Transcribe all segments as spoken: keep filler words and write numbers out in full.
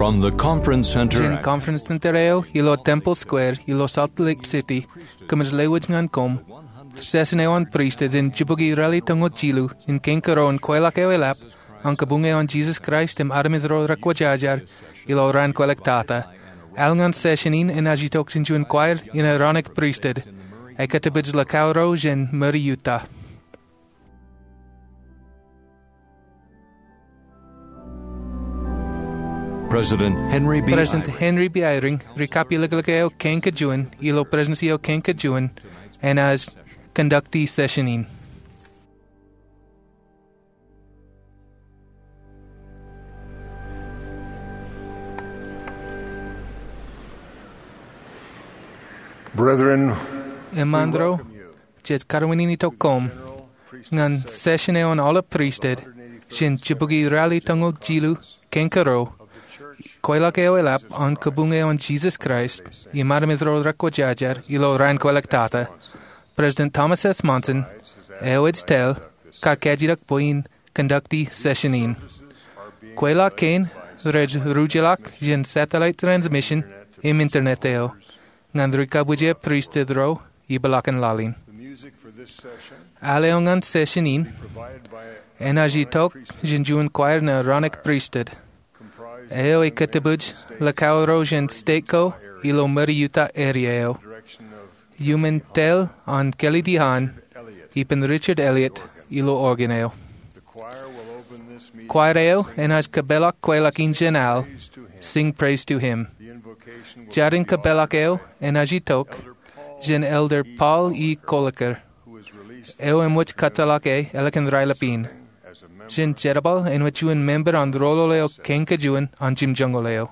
From the Conference Center jān Conference Center eo ilo Temple Square ilo Salt Lake City, kōmij lewōj ñan koṃ session eo an pristut jān jibukwi ralitōñoul jilu in kein kōrā in kweilọk eo eḷap an kabuñ eo an Jesus Christ im armej ro rekwōjarjar ilo raan kwōlọk tata. Al ñan session in enaaj itok jān juon choir in Aaronic pristut, ekkā tōpij lakauro jān Murray, Utah. President Henry B. President Eyring. Henry B. Eyring, ri-kapilōklōk eo kein kajuon ilo Presidents eo kein kajuon, enaaj conducti session in. Brethren, eṃṃan ro, jej karuwiniti koṃ ñan session eo an aolep pristut jān jibukwi ralitōñoul jilu kein kōrā, kweilọk eo eḷap an kabuñ eo an Jesus Christ im armej ro rekwōjarjar ilo raan kwōlọk tata. President Thomas S. Monson eo ej tōl kar kajjitōk bwe in conducti session in. Kweilọk kein rej rujeḷọk jān satellite transmission im internet eo ñan ri-kōbwijak pristut ro ipeḷaakin laḷ in. Al eo ñan session in enaaj itok jān juon choir in Aaronic pristut eo ekkā tōpij lakauro jān state ko ilo Murray, Utah area eo. Iuṃwin tōl an Kelly D. Hahn ippān Richard Elliott ilo organ eo. Choir eo enaaj kōpeḷḷọk kweilọk in jān al, Sing Praise to Him. Jar in kōpeḷḷọk eo enaaj itok jān Elder Paul E. Koelliker, eo eṃōj kōtḷọk e ālikin raelep in, jān jerbal āinwōt juon member an roñoul eo kein kajuon an jimjuonñoul eo.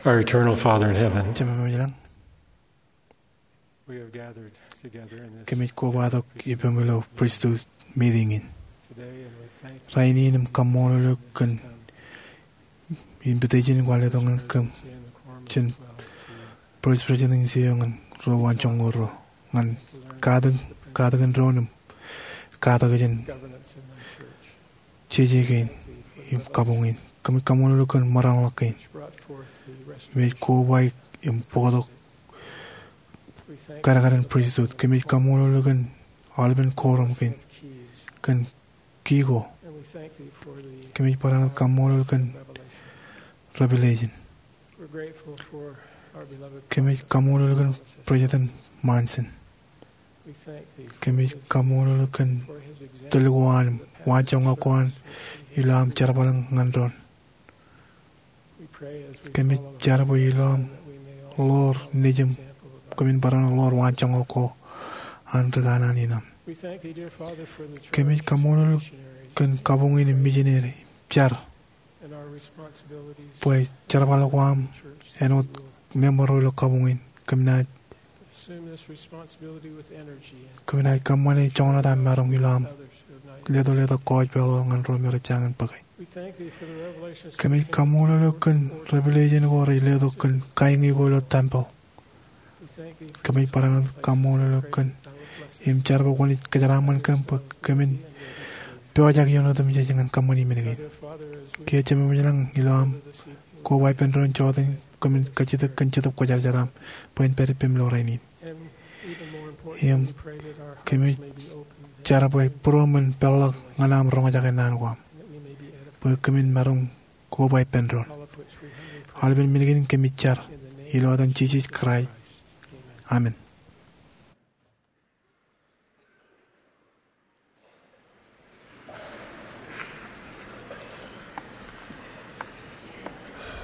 Our eternal Father in heaven, Jemem eo ilañ, we have gathered together in this kōmij kobatok ippaṃ ilo priesthood meeting in. Today, and we thank you Rainin im kaṃṃoolol eok kōn invitation ko an letok ñan kōm jān Vice President in Senior ñan ro waanjoñoul ro ñan katak, katakin doon im katak jān jeje kein im kabuñ in. Kōmij kaṃṃoolol eok kōn maroñ ḷọk kein. Im ej koba im bōktok kadkadin priesthood. Kōmij kaṃṃoolol eok kōn aolepen quorum kein, kōn key ko. Kōmij barāinwōt kaṃṃoolol kōn revelation. Kōmij kaṃṃoolol kōn President Monson. Kōmij kaṃṃoolol kōn tōl ko an, waanjoñak ko an ilo aṃ jerbal ñan doon. Kōmij jar bwe ilo aṃ ḷoor nejūṃ, kōmin barāinwōt ḷoor waanjoñak ko an ri kanaan in aṃ. Kōmij kaṃṃoolol kōn kabuñ in im misineri im jar bwe jerbal ko aṃ āinwōt member ro ilo kabuñ in, kōm naaj kōm naaj kōṃṃane joñan etaṃ maroñ ilo aṃ leto letok kōjpeḷ eo ñan ro me rej jañin bōke. Kōmij kaṃṃoolol eok kōn revelation ko rej letok kōn kaiñi ko ilo tempeḷ. Kōmij barāinwōt kaṃṃoolol eok kōn im jar bwe kwōnaaj kōjeraaṃṃan kōm bwe kōmin pojak ioon otemjej ñan kōṃṃani men kein. Kiiō Jemem ilañ, ilo aṃ koba ippān doon jota in, kōmin kajjitōk kōn Jetōb Kwōjarjar aṃ bwe en pād ippaṃ ilo rainin. Im kōmij jar bwe būruōm en peḷḷọk ñan aṃ roñjake naan ko aṃ bwe kōmin maroñ koba ippān doon. Aolepen men kein kōmij jar ilo etan Jisōs Kraist. Amen.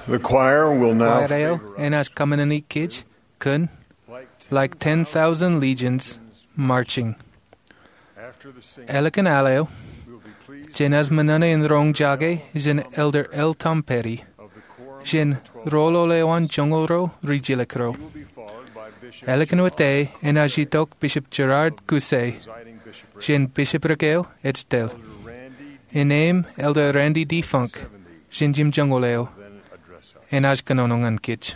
The choir will now Kwaer eo enaaj kōṃṃani kōj kōn Like Ten Thousand Legions Marching. Ālikin al eo, jenaaj ṃōṇōṇō in roñjake jān Elder L. Tom Petty jān Rool eo an Joñoul Ruo Rijjilōk Ruo. Ālikin wōt e enaaj itok Bishop Gerard Caussé jān bishopric eo Ejtel. Innem Elder Randy D. Funk jān jimjuonñoul eo enaaj kōnono ñan kōj.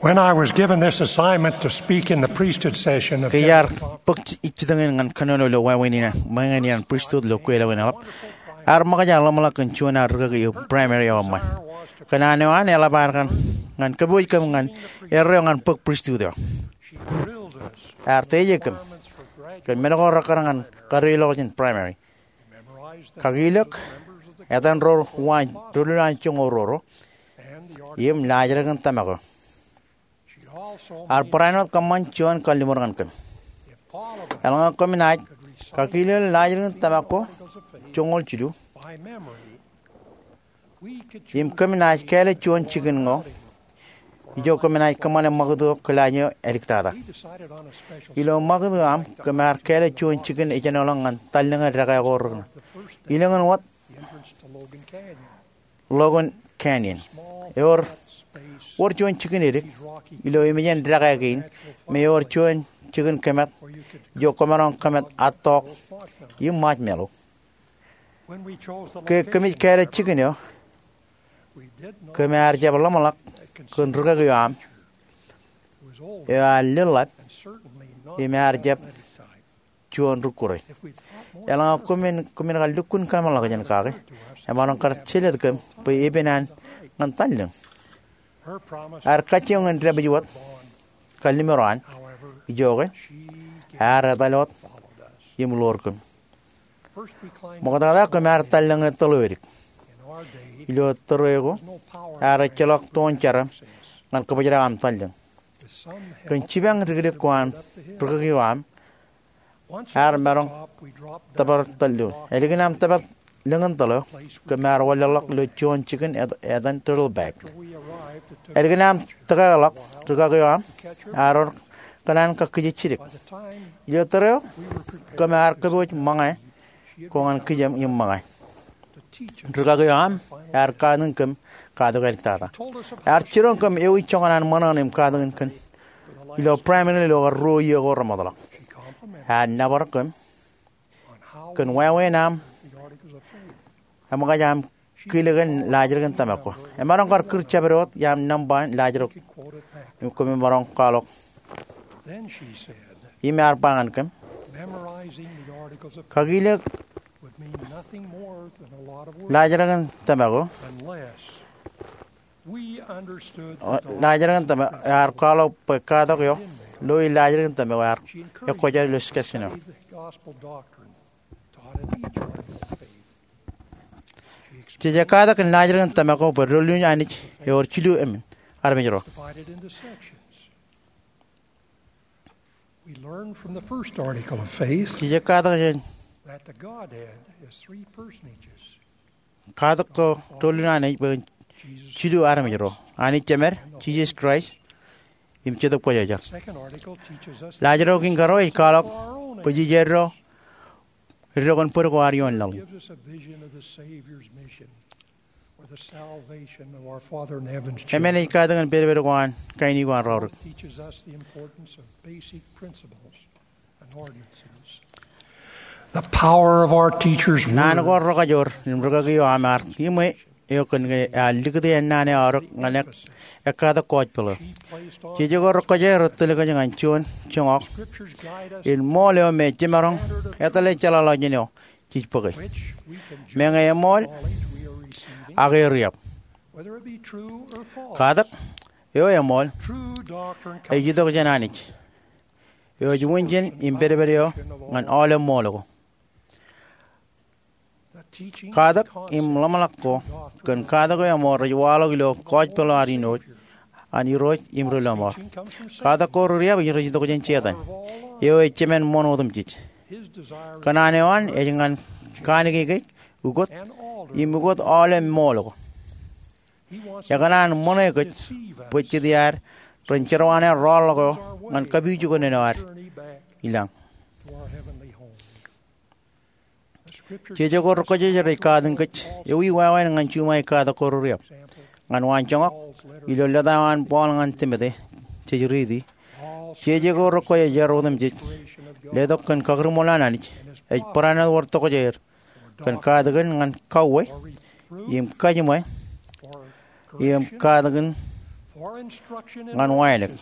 When I was given this assignment to speak in the priesthood session of Ke iar bōk jitōñ in ñan kōnono ilo wāween in eo, meñe in iaan pristut ilo kweilọk in eḷap, ear ṃōkaj aō ḷōmṇak kōn juon aō rikaki eo primary eo eṃṃan. Kōn an eo an eḷap ad kaṇ ñan kōpooj kōm ñan erreo ñan bōk pristut eo. Ear teje kōm kōn men ko rekkar ñan kadeilọk jān primary. Kakilōk etan ro uwaan, ro lowaan joñoul roro, im laajrak in tōmak eo. Ear barāinwōt kōṃṃan juon kalliṃur ñan kōm. Eḷaññe koṃ naaj kakilōk laajrak in tōmak ko joñoul jilu, im kōm naaj kāālōt juon jikin ño, ijo kōm naaj kōṃṃane ṃakūt eo kilaaj eo āliktata. Ilo ṃakūt eo aṃ, kōm ar kāālōt juon jikin ejenoḷọk ñan tallōñe dekā ko rūkūṇ, ilōñ in wōt Logan Canyon. Ewōr, wōr juon jikin edik ilo emejān dekā kein, im ewōr juon jikin kōmat ijo kwōmaroñ kōmat attoḷọk im marshmallow. Ke kōmij kāālōt jikin eo, kōm ar jab ḷōmṇak kōn rikaki eo aṃ eo ear leḷḷap im ear jab juon rūkure. Eḷaññe kōmin, kōmin kar lukkuun kōḷmānḷọkjeṇ kake, emaroñ kar jelōt kōm bwe epen an ñan tallōñ. Ear kajjioñ in dāpij wōt kalliṃur eo an, ijoke ear etal wōt im ḷoor kōm. Ṃokta kōm ar tallōñe tōl eo edik. Ilo tōre ko, ear ejjeḷọk toon jarom ñan kōbōjrak aṃ tallōñ. Kōn jipañ dikdik ko an rikaki eo aṃ, ear maroñ tōpar tōl eo. Ālikin aṃ tōpar lōñin tōl eo, kōm ar wanlaḷḷọk ilo juon jikin etan turtleback. Ālikin aṃ tōkeḷọk rikaki eo aṃ, ear ewōr kōṇaan kakkije jidik. Ilo tōre eo, kōm ar kōpooj ṃōñā ko ñan kijem im ṃōñā. Rikaki eo aṃ ear katakin kōm katak āliktata. Ear jiroñ kōm ewi jokwan an ṃōṇōṇō im katakin kōn ilo primary ilo kar ruo iiō ko remootḷọk. Ear nōbar kōm kōn wāween aṃ eṃōkaj aṃ kilōk in laajrak in tōmak ko. Emaroñ kar kūr jabdewōt iaam nōṃba in laajrak im kōm maroñ kwaḷọk. Im ear ba ñan kōm, kakilōk laajrak in tōmak ko. Laajrak in tōmak, ear kwaḷọk bwe katak eo, loi laajrak in tōmak ko ear ekwōjarjar ilo sketch eo. Jej katak in laajrak in tōmak ko bwe doulul in Anij ewōr jilu emān armej ro. We learn from the first article of faith Jej katak jān that the Godhead is three personages. Katak ko doulul in Anij bwe en jilu armej ro. Anij Jemed, Jisōs Kraist, im Jetōb Kwōjarjar. Second article teaches us Laajrak in kōrā ej kwaḷọk bwe jej eddo eddo kōn bōd ko ad ioon laḷ in. Gives us a vision of the Savior's mission for the salvation of our Father in Heaven's children. Emān ej katak in pedped ko an kain eo an raorōk. Teaches us the importance of basic principles and ordinances. The power of our teacher's word. Naan ko rekajor im rikaki eo aṃ ear iṃwe eo kōn ke ear likūti ennaan eo aorōk ñan ek, ekkatak gospel eo. Jeje ko rekwōjarjar rej tōl kōj ñan juon joñak in ṃool eo me jemaroñ etale jeḷāḷọkjeṇ eo jej bōke. Meñe eṃool, ak eor iab. Katak eo eṃool ej itok jān Anij, eo ej unin jān im pedped eo ñan aolep ṃool ko. Katak im ḷōmṇak ko kōn katak eo eṃool rej waḷọk ilo gospel eo ad āinwōt an Irooj im Rilọmọọr. Katak ko riab ej rej itok jān Setan, eo ej jemān ṃoṇ otemjej. Kōṇaan eo an ej ñan kanooj kōj ukōt im ukōt aolep ṃool ko. Ekōṇaan ṃōṇe kōj bwe jet iaad ren jerwaan rọọlḷọk eo ñan kapijuknen eo ad ilañ. Jeje ko rekwōjarjar rej katakin kōj ewi wāween ñan juṃae katak ko riab. Ñan waan joñak, ilo lōta eo an Paul ñan Timote, jej riiti. Jeje ko rekwōjarjar otemjej, letok kōn kakūrṃool an Anij, ej barāinwōt wōr tokjāer kōn katakin ñan kauwe, im kajiṃwe, im katakin ñan wānōk.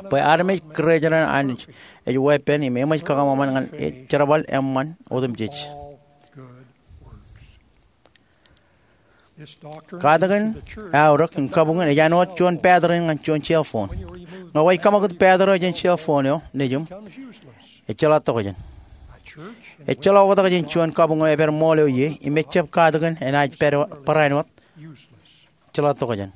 Bwe armej kōrā jān an ej weeppān im eṃōj kōṃanṃan ñan jerbal eṃṃan otemjej. Katakin aorōk im kabuñ in ej āinwōt juon battery ñan juon cell phone. Ñe kwōj kaṃakūt battery eo jān cell phone eo nejiṃ, ejjeḷọk tokjān. Ejjeḷọk oktak jān juon kabuñ eo epād ṃool eo ie im ejab katakin enaaj barāinwōt. Ejjeḷọk tokjān.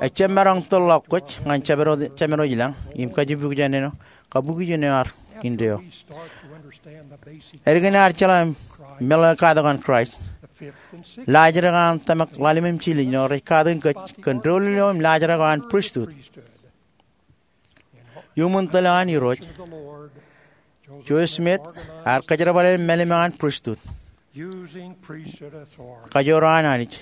Ejab maroñ tōl ḷọk kwōj ñan jemād eo ilañ im kajjipukjān āinwōt kabukjān eo ad indeeo. Ālikin ad jeḷā meḷeḷe in katak an Kraist, laajrak an tōmak ḷalem im jiljilimjuon rej katakin kōj kōn doulul eo im laajrak eo an pristut. Iuṃwin tōl eo an Irooj, Joseph Smith ear kōjerbale mālim eo an pristut, kajoor eo an Anij.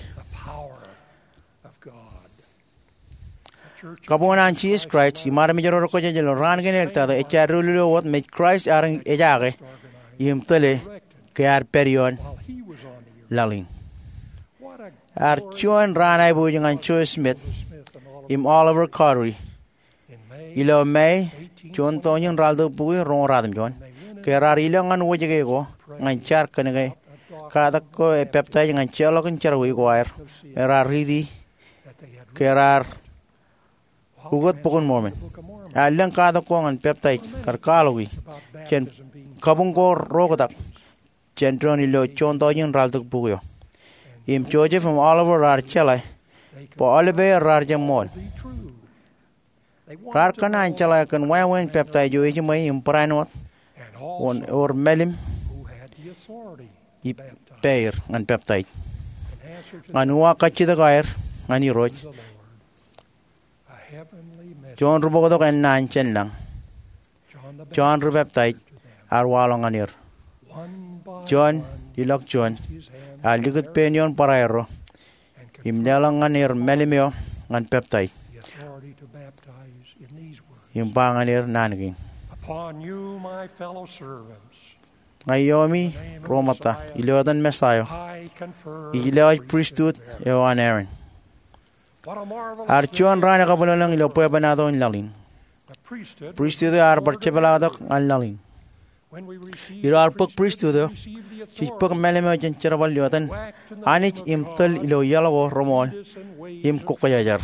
Kabuñ an Jisōs Kraist im armej ro rekwōjarjar ilo raan kein āliktata ej doulul eo wōt mej Kraist ear ejaake im tōle ke ear pād ioon laḷ in. Ear juon raan aiboojoj ñan Joseph Smith im Oliver Cowdery ilo May juon tọujin ralitōk bukwi roñoul ratimjuon, ke raar ilọk ñan wōjke ko ñan jar kōnke katak ko epaptaij ñan jeorḷọkin jerọwiwi ko aer me raar riiti ke raar ukōt Bok in Mormon. Ear lōñ katak ko ñan peptaij kar kwaḷọki jān kabuñ ko ro oktak jān doon ilo juon tọujin ralitōk bukwi eo. Im Joseph im Oliver raar jeḷā bwe aolepāer raar jab ṃool. Raar kōṇaan jeḷā kōn wāween peptaij eo ejiṃwe im barāinwōt wōn ewōr mālim ippāer ñan peptaij ñan uwaak kajjitōk aer ñan Irooj. Juon ri bōktok ennaan jān lañ, John the Baptist, ear waḷọk ñan er. Juon ilọk juon ear likūt pein ioon barāinwōt im leḷọk ñan er mālim eo ñan peptaij. Im ba ñan er naan kein: Ña iomi ro ṃōtta, ilo etan Messaia, ij lewōj pristut eo an Aaron. Ear juon raan ekabwilōñlōñ ilo bwebwenato in laḷ in. Pristut eo ear bar jepḷaaktok ñan laḷ in. Ilo ad bōk pristut eo, jej bōk mālim eo jān jerbal eo etan Anij im tōl ilo iaḷ ko reṃool im kwōjarjar.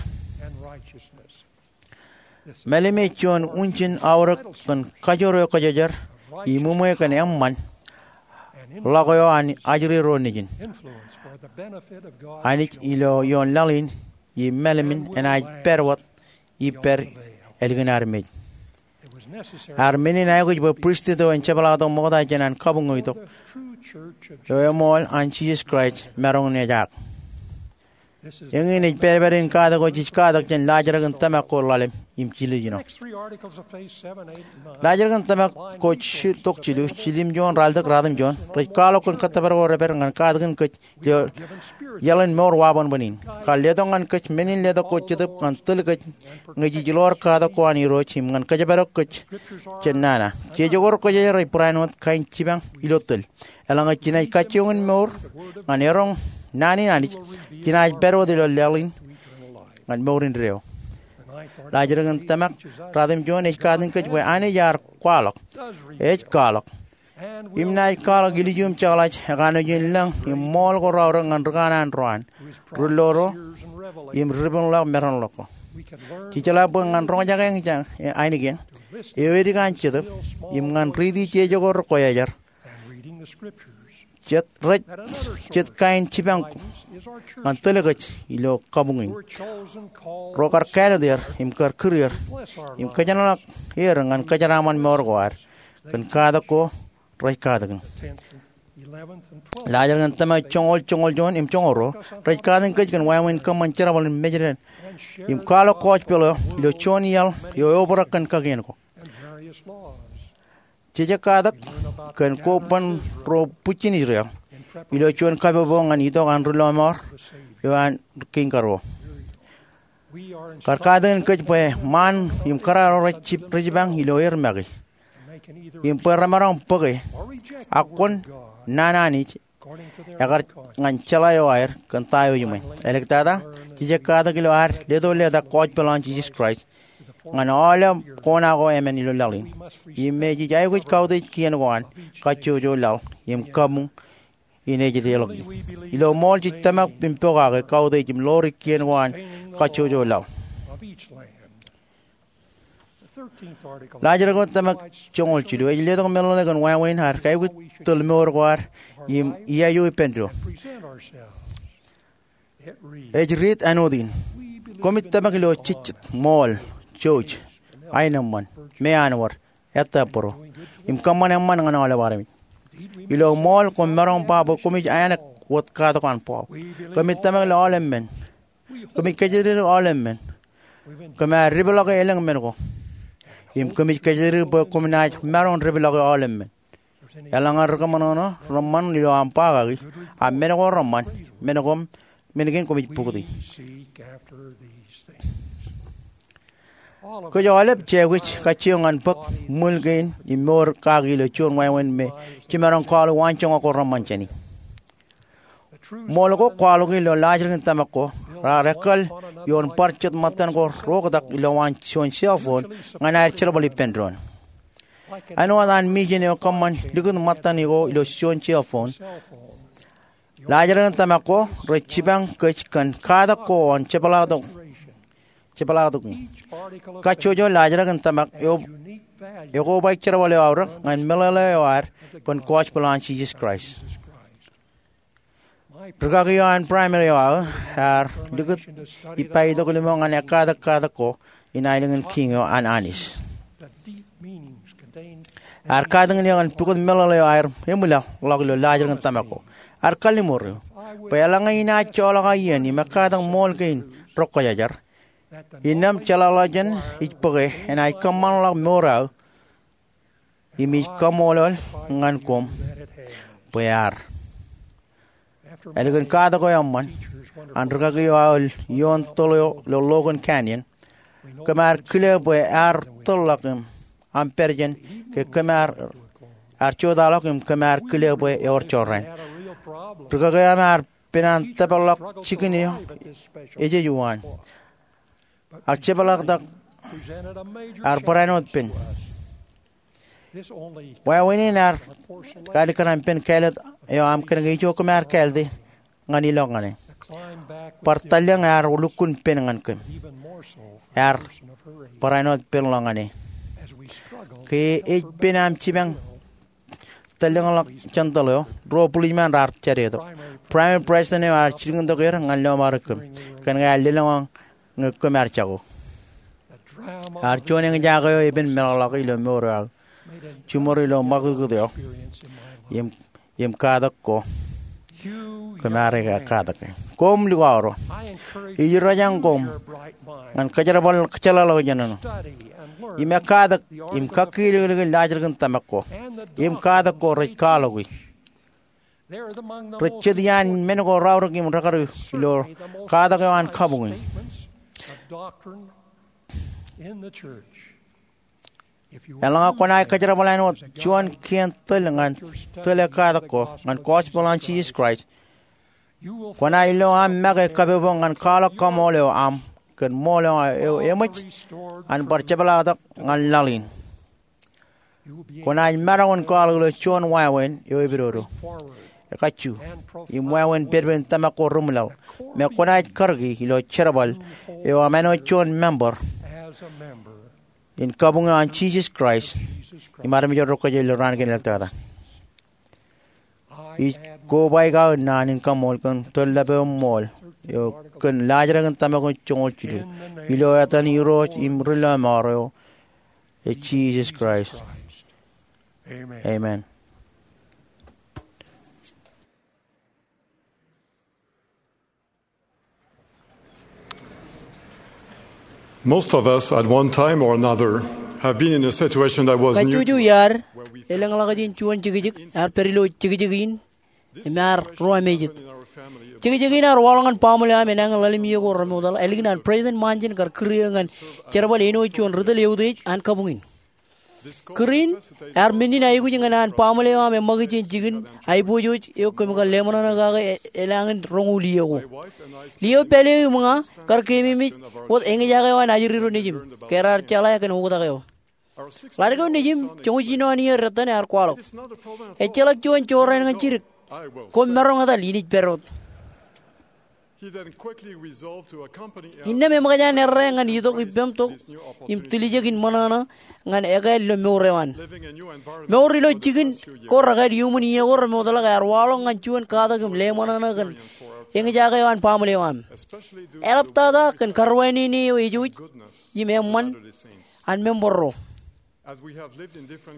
Mālim ej juon unjin aorōk kōn kajoor eo kwōjarjar im uṃwei kōn eṃṃan ḷọk eo an ajri ro nejin. Anij ilo ioon laḷ in im mālim in enaaj pād wōt ippād ālikin armej. Ear men in aikuj bwe pristut eo en jepḷaaktok ṃokta jān an kabuñ eo itok eo eṃool an Jisōs Kraist maroñ in ejaak. Eñin ej pād pād in katak eo jej katak jān laajrak in tōmak ko ḷalem im jiljilimjuon. Laajrak in tōmak ko tok jilu, jiljilimjuon, ralitōk ratimjuon rej kwaḷọk kōn kōttōpar ko rej pād ñan katakin kōj ilo iaḷ in mour wabōnbōn in. Kar letok ñan kōj men in letok ko Jetōb ñan tōl kōj ñe jej ḷoor katak ko an Irooj im ñan kōjparok kōj jān nana. Jeje ko rekwōjarjar rej barāinwōt kain jipañ ilo tōl. Eḷaññe jenaaj kajjioñ in mour ñan eroñ naan in Anij, jenaaj pād wōt ilo laḷ in ñan mour indeeo. Laajrak in tōmak ratimjuon ej katakin kōj bwe Anij ear kwaḷọk, ej kwaḷọk, im naaj kwaḷọk ilju im jeḷā ekanooj in lōñ im ṃool ko raorōk ñan ri kanaan ro an, ri ḷoḷo, im ri riponḷọk maroñ ḷọk ko. Jej jeḷā bwe ñan roñjake eñjake ainikien eo edik an Jetōb im ñan riiti jeje ko rekwōjarjar, jet rej jet kain jipañ ñan tōl kōj ilo kabuñ in. Ro kar kāālōt er im kar kūr er im kōjenolọk er ñan kōjeraaṃṃan mour ko ad kōn katak ko rej katakin. Laajrak in tōmak joñoul, joñoul juon im joñoul ruo rej katakin kōj kōn wāween kōṃṃan jerbal in mejed im kwaḷọk gospel eo ilo juon iaḷ eo eobrak kōn kakien ko. Jeje katak kōn koban ro bwijin Israel ilo juon kapopo ñan itok an ri lọmọọr eo an Kiiñ Karuo. Kar katakin kōj bwe ṃaan im kōrā ro rej jipañ ilo er make im bwe remaroñ bōke, ak kwōn naan Anij ekar ñan jeḷā eo aer kōn ta eo ejiṃwe. Āliktata, jej katak ilo ad leto letak gospel an Jisōs Kraist ñan aolep kona ko emān ilo laḷ in. Im me jej aikuj kautiej kien ko an kajjojo laḷ im kabuñ in ej deḷọñe. Ilo ṃool jej tōmak im pokake kautiej im ḷoori kien ko an kajjojo laḷ. Laajrak eo tōmak joñoul jilu ej letok meḷeḷe kōn wāween ad aikuj tōl mour ko ad im iaio ippān doon. Ej riit āinwōt in: Koṃij tōmak ilo jejjet, ṃool, jouj, aenōṃṃan, meanwōd, ettā būro, im kōṃṃan eṃṃan ñan aolep armej. Ilo ṃool koṃ maroñ ba bwe koṃij āneak wōt katak an Paul. Koṃij tōmak ilo aolep men. Koṃij kōjatdikdik aolep men. Koṃ ar depḷọke elōñ men ko. Im koṃij kōjatdikdik bwe koṃ naaj maroñ depḷọke aolep men. Eḷaññe ri kōṃanṃan reṃṃan ilo aṃ ba kaki, ak men ko reṃṃan, men kein koṃij pukti. Kōj aolep jej aikuj kajjioñ ñan bōk ṃwil kein im mour kaki ilo juon wāween me jiṃaroñ kwaḷọk waanjoñak ko reṃṃan jāne. Ṃool ko kwaḷọk ilo laajrak in tōmak ko raar ekkal ioon bar jet ṃōttan ko reoktak ilowaan juon cell phone ñan aer jerbal ippān doon. Āinwōt an mijen eo kōṃṃan likūt ṃōttan ko ilo juon cell phone, laajrak in tōmak ko rej jipañ kōj kōn katak ko an jepḷaaktok, jepḷaaktok in. Kajjojo laajrak in tōmak eo ekobaik jerbal eo aorōk ñan meḷeḷe eo ad kōn gospel an Jisōs Kraist. Rikaki eo an primary eo aō ear likūt ippa itok limo ñan ekkatak katak ko in aelōñ in kiiñ eo an Anij. Ear katakin eō ñan pukot meḷeḷe eo aer eṃwilaḷḷọk ilo laajrak in tōmak ko. Ear kalliṃur eō bwe eḷaññe inaaj joḷọk aō iien im ekkatak ṃool kein rekwōjarjar, innām jeḷāḷọkjeṇ ij bōke enaaj kōṃṃanḷọk mour aō im ij kaṃṃoolol ñan koṃ bwe ear. Ālikin katak eo eṃṃan an rikaki eo aō ioon tōl eo ilo Logan Canyon, kōm ar kile bwe ear tōlḷọk im aṃ pād jān ke kōm ar, ar jotaḷọk im kōm ar kile bwe ewōr jorrāān. Rikaki eo aṃ ear pen an tōpar ḷọk jikin eo ejej uwaan. Ak jepḷaaktok ear barāinwōt pen. Wāween in ear kalikkar an pen kāālōt eo aṃ kōnke ijo kōm ar kāālte ñan ilọk ñan e. Bar tōllọk ear lukkuun pen ñan kōm. Ear barāinwōt pen ḷọk ñan e. Ke ej pen aṃ jipañ tōllọkḷọk jān tōl eo, ruo bulijeṃaan raar jadetok. Primary president eo ear jilkintok er ñan lọmọọr kōm kōnke ear lelōñ ñe kōm ar jako. Ear juon eñjake eo epen meḷọkḷọk ilo mour eo aō, jiṃor ilo ṃakūtkūt eo im, im katak ko kōm ar katak. Koṃ likao ro, ij rōjañ koṃ ñan kōjerbal jeḷāḷọkjeṇ ṇe im ekkatak im kakkilōklōk in laajrak in tōmak ko im katak ko rej kwaḷọki. Rej jet iaan men ko raorōk im rekar ilo katak eo an kabuñ in. Eḷaññe kwōnaaj kōjerbal āinwōt juon kien tōl ñan tōl ekkatak ko ñan gospel an Jisōs Kraist, kwōnaaj lo aṃ make kapopo ñan kwaḷọk kaṃool eo aṃ kōn ṃool eo eṃōj an bar jepḷaaktok ñan laḷ in. Kwōnaaj maroñ in kwaḷọk ilo juon wāween eo epidodo, ekajju, im wāween pedped in tōmak ko reṃwilaḷ me kwōnaaj karōki ilo jerbal eo aṃ āinwōt juon member in kabuñ eo an Jisōs Kraist im armej ro kwōj ilo raan kein āliktata. Ij kobaik aō naan in kaṃool kōn tōl ḷap eo ṃool eo kōn laajrak in tōmak joñoul jilu ilo etan Irooj im Ri-lọmọọr eo, Jisōs Kraist. Amen. Most of us, at one time or another, have been in a situation that was near to us. Kajjojo iaad elōñḷọk jān juon jekjek, ear pād ilo jekjek in im ear ruwamāejet. Jekjek in ear waḷọk ñan baaṃle eo aṃ enañin ḷalem iiō ko remootḷọk, ālikin an President Monson kar kūr eō ñan jerbal āinwōt juon ri tōl eutiej an kabuñ in. Kūr in ear men in aikuj ñan an baaṃle eo aṃ eṃṃakūt jān jikin aiboojoj eo kōm kar leṃōṇōṇō kake elōñ roñoul iiō ko. Lieo pālle eo im ña kar keememej wōt eñjake eo an ajri ro nejiṃ ke raar jeḷā kōn oktak eo. Ḷaddik eo nejiṃ joñoul jinoin iiō retten ear kwaḷọk. Ejjeḷọk juon jorrāān ñan jidik. Koṃ maroñ etal, inaaj pād wōt. Innām eṃōkaj an errā ñan itok ippem tok im tiljek in ṃōṇōṇō ñan ekāāl ilo mour eo an. Mour ilo jikin ko rekāāl iuṃwin iiō ko remootḷọk ear waḷọk ñan juon katak im leṃōṇōṇō kōn eñjake eo an baaṃle eo aṃ. Eḷaptata kōn karuwainene eo ejouj im eṃṃan an member ro.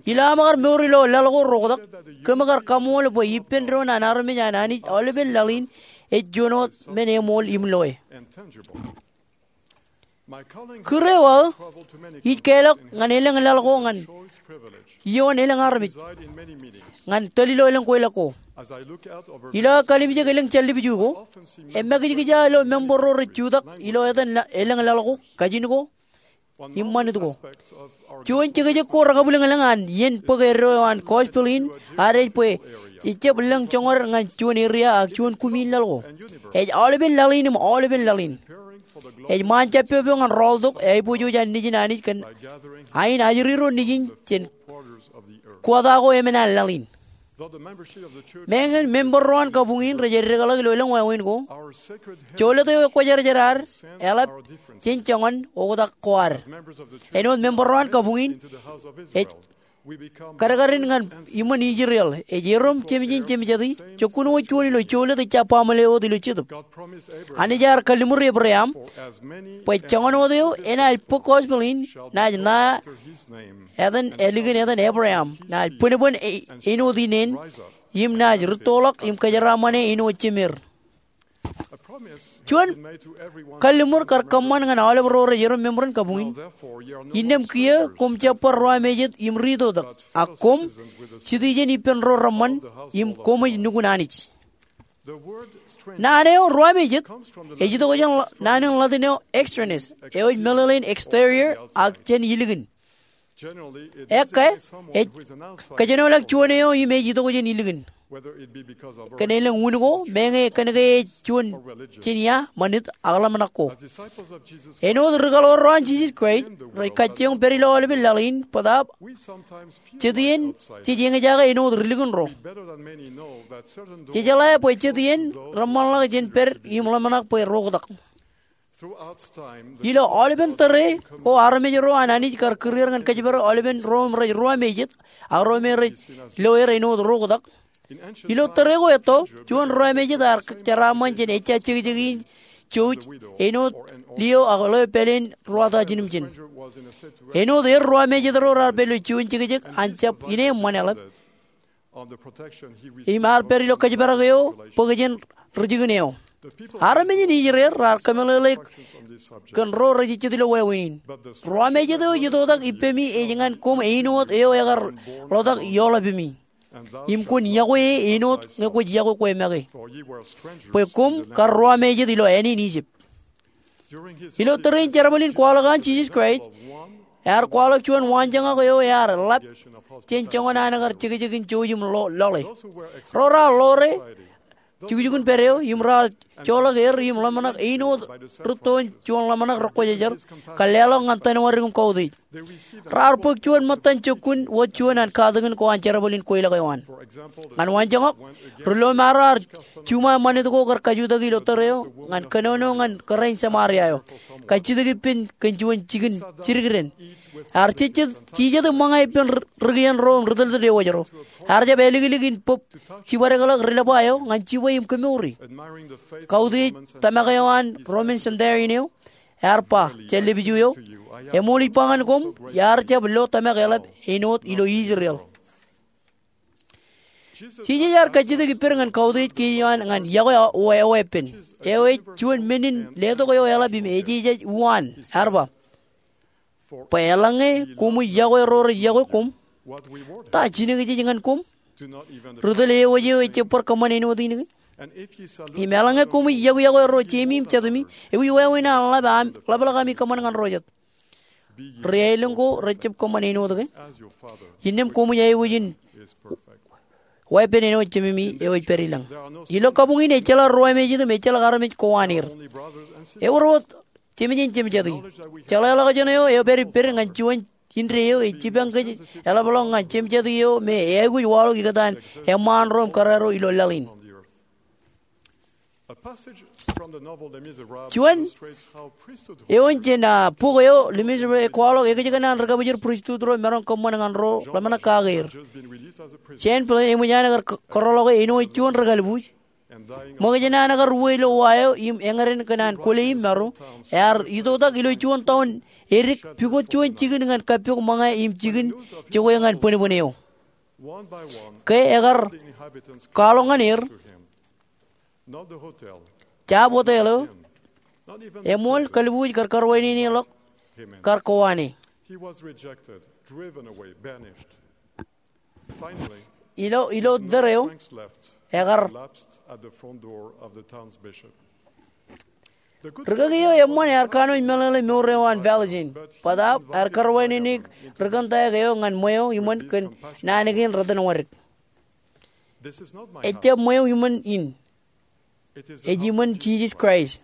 Ilo aṃ kar mour ilo laḷ ko reoktak, kōm kar kaṃool bwe ippān doon an armej an Anij aolepen laḷ in ej juon wōt men eṃool im loe. Kūr eo aō ij kālọk ñan elōñ laḷ ko ñan ioon elōñ armej ñan tōl ilo elōñ kweilọk ko. Ilo aō kalimjek elōñ jān lipju ko, emakijkija ilo member ro rej jutak ilo etan elōñ laḷ ko, kajin ko im ṃanit ko. Juon jekjek ko rekabwilōñlōñ an iien bōk eddo eo an gospel in ad ej bwe ejjab lōñ joñoul ñan juon area ak juon kumiin laḷ ko. Ej aolepen laḷ in im aolepen laḷ in. Ej ṃaan jabpep eo ñan rọọltok aiboojoj an Nejin Anij kōn ain ajri ro nejin jān kuwata ko emān an laḷ in. Meñe member ro an kabuñ in rej eddekḷọk ilo elōñ wāween ko, jolōt eo ekwōjarjar ad eḷap jān joñan oktak ko ad. Āinwōt member ro an kabuñ in, ej kadkadin ñan iṃōn Israel, ej erom jemjen jemjeti, jokkun wōt juon ilo jolōt ejja baaṃle wōt ilo jetōb. Anij ear kalliṃur Ebream bwe joñan wōt eo enaaj bōk gospel in naaj ṇa etan ālikin etan Ebream, naaj bōnbōn e- āinwōt ineen, im naaj rūttoḷọk im kōjeraaṃṃane āinwōt jemeer. Juon kalliṃur kar kōṃṃan ñan aolep ro rej erom member in kabuñ in. Innām kiiō koṃ jab bar ruwamejet im ri-itoitak, ak koṃ, jitijin ippān ro reṃṃan, im koṃij nukun Anij. Naan eo ruwamejet ej itok jān naan in Latin eo extraneous, eo ej meḷeḷein exterior ak jān ilikin. Ekkā, ej kōjenolọk juon eo im ej itok jān ilikin, kōn elōñ un ko, meñe kōn ke ej juon jān ia, ṃanit, ak ḷōmṇak ko. Āinwōt ri-kaḷoor ro an Jisōs Kraist, rej kajjioñ pād ilo aolepen laḷ in bōtaab jet iien jej eñjake āinwōt ri-likin ro. Jejeḷā bwe jet iien reṃṃanḷọk jān pād im ḷōmṇak bwe reoktak. Ilo aolepen tōre ko armej ro an Anij kar kūr er ñan kōjparok aolepen ro im rej ruwamejet, ak ro me rej lo er āinwōt reoktak. Ilo tōre ko etto, juon ruwamejet ear jeraaṃṃan jān ejja jekjek in jouj āinwōt lio ak ḷeo pāleen ruwata jiljilimjin. Āinwōt er ruwamejet ro raar pād ilo juon jekjek an jab ineeṃṃan eḷap im ear pād ilo kōjparok eo bōk jān ri-jikin eo. Armej in Israel raar kōmeḷeḷe kōn ro rej ejjet ilo wāween in. Ruwamejet eo ej itoitak ippemi ej ñan koṃ āinwōt eo ekar ḷotak ioḷapemi, im kwōn yokwe e āinwōt ñe kwōj yokwe kwe make, bwe koṃ kar ruwamejet ilo āne in Ijipt. Ilo tōre in jerbal in kwaḷọk an Jisōs Kraist, ear kwaḷọk juon waanjoñak eo ear ḷap jān joñan an kar jekjek in jouj im lo- loḷe. Ro raar ḷoore jukjukun pād eo im raar joḷọk er im ḷōmṇak āinwōt rūttoon juon ḷōmṇak rekwōjarjar, kar leḷọk ñan tōnwōdik im kautiej. Raar bōk juon ṃōttan jokkun wōt juon an katakin ko an jerbal in kweilọk eo an. Ñan waanjoñak, ri-lomaro ear juṃae ṃanit ko kar kajutak ilo tōre eo ñan kōnono ñan kōrā in Samaria eo, kajjitōk ippān kōn juon jikin jidik dān. Ear jejjet, jijet im ṃōñā ippān ri-, ri-kien ro im ri-tōltōl ewōj ro. Ear jab āliklik in bōb jibadekḷọk ri-lōba eo ñan jibwe im kemouri. Kautiej tōmak eo an Roman centurion eo, ear ba jān lōb eo, eṃool ij ba ñan koṃ, iar jab lo tōmak eḷap āinwōt ilo Israel. Jisōs ear kajjitōk ippād ñan kautiej kein eo an ñan yokwe eo eweeppān. Eo ej juon men in letok eo eḷap im ejeje uwaan, ear ba, bwe eḷaññe koṃij yokwe ro rej yokwe koṃ, ta jinōkjeej ñan koṃ? Ri-tōl ewōj eo ejjab bar kōṃṃan āinwōt in ke? Im eḷaññe koṃij yokwe yokwe ro jemi im jatumi, ewi wāween an ḷap ami, ḷapḷọk ami kōṃṃan ñan ro jet? ri aelōñ ko rejjab kōṃṃan āinwōt ke? Innām koṃij aikuj in wa ippān āinwōt Jememi eo ej pād ilañ. Ilo kabuñ in ejjeḷọk ruwamāejet im ejjeḷọk armej ko an er. Ewōr wōt jemjein jemjatiki. Jeḷāḷọkjeṇ eo epād ippād ñan juon indeeo ej jipañ kōj eḷapḷọk ñan jemjatiki eo me eaikuj waḷọk ikōtaan eṃṃaan ro im kōrā ro ilo laḷ in. Juon eoon jān bok eo Les Misérables ej kwaḷọk ekōjkan an ri kabwijin pristut ro maroñ kōṃṃan ñan ro ḷōmṇak kake er. Jean Piaget eṃōj an ekar kōrọọlḷọk e āinwōt juon ri kalbuuj. Ṃōkaj in an ekar uwe ilo wa eo im eñeden kōn an kwōle im maro, ear itoitak ilo juon taon edik pukot juon jikin ñan kappok ṃōñā im jikin jokwe ñan bwinbwin eo. Ke ekar kwaḷọk ñan er, jab hotel eo, eṃool kalbuuj kar karwaineneḷọk, kar kowaan e. Ilo, ilo tōre eo, ekar Rikaki eo eṃṃan ear kanooj meḷeḷe mour eo an Valljean, bōtaab ear karwainene ri kōntaek eo ñan ṃweo iṃōn kōn naan kein rōtōnwōdik. Ejjab ṃweo iṃōn in. Ej iṃōn Jisōs Kraist.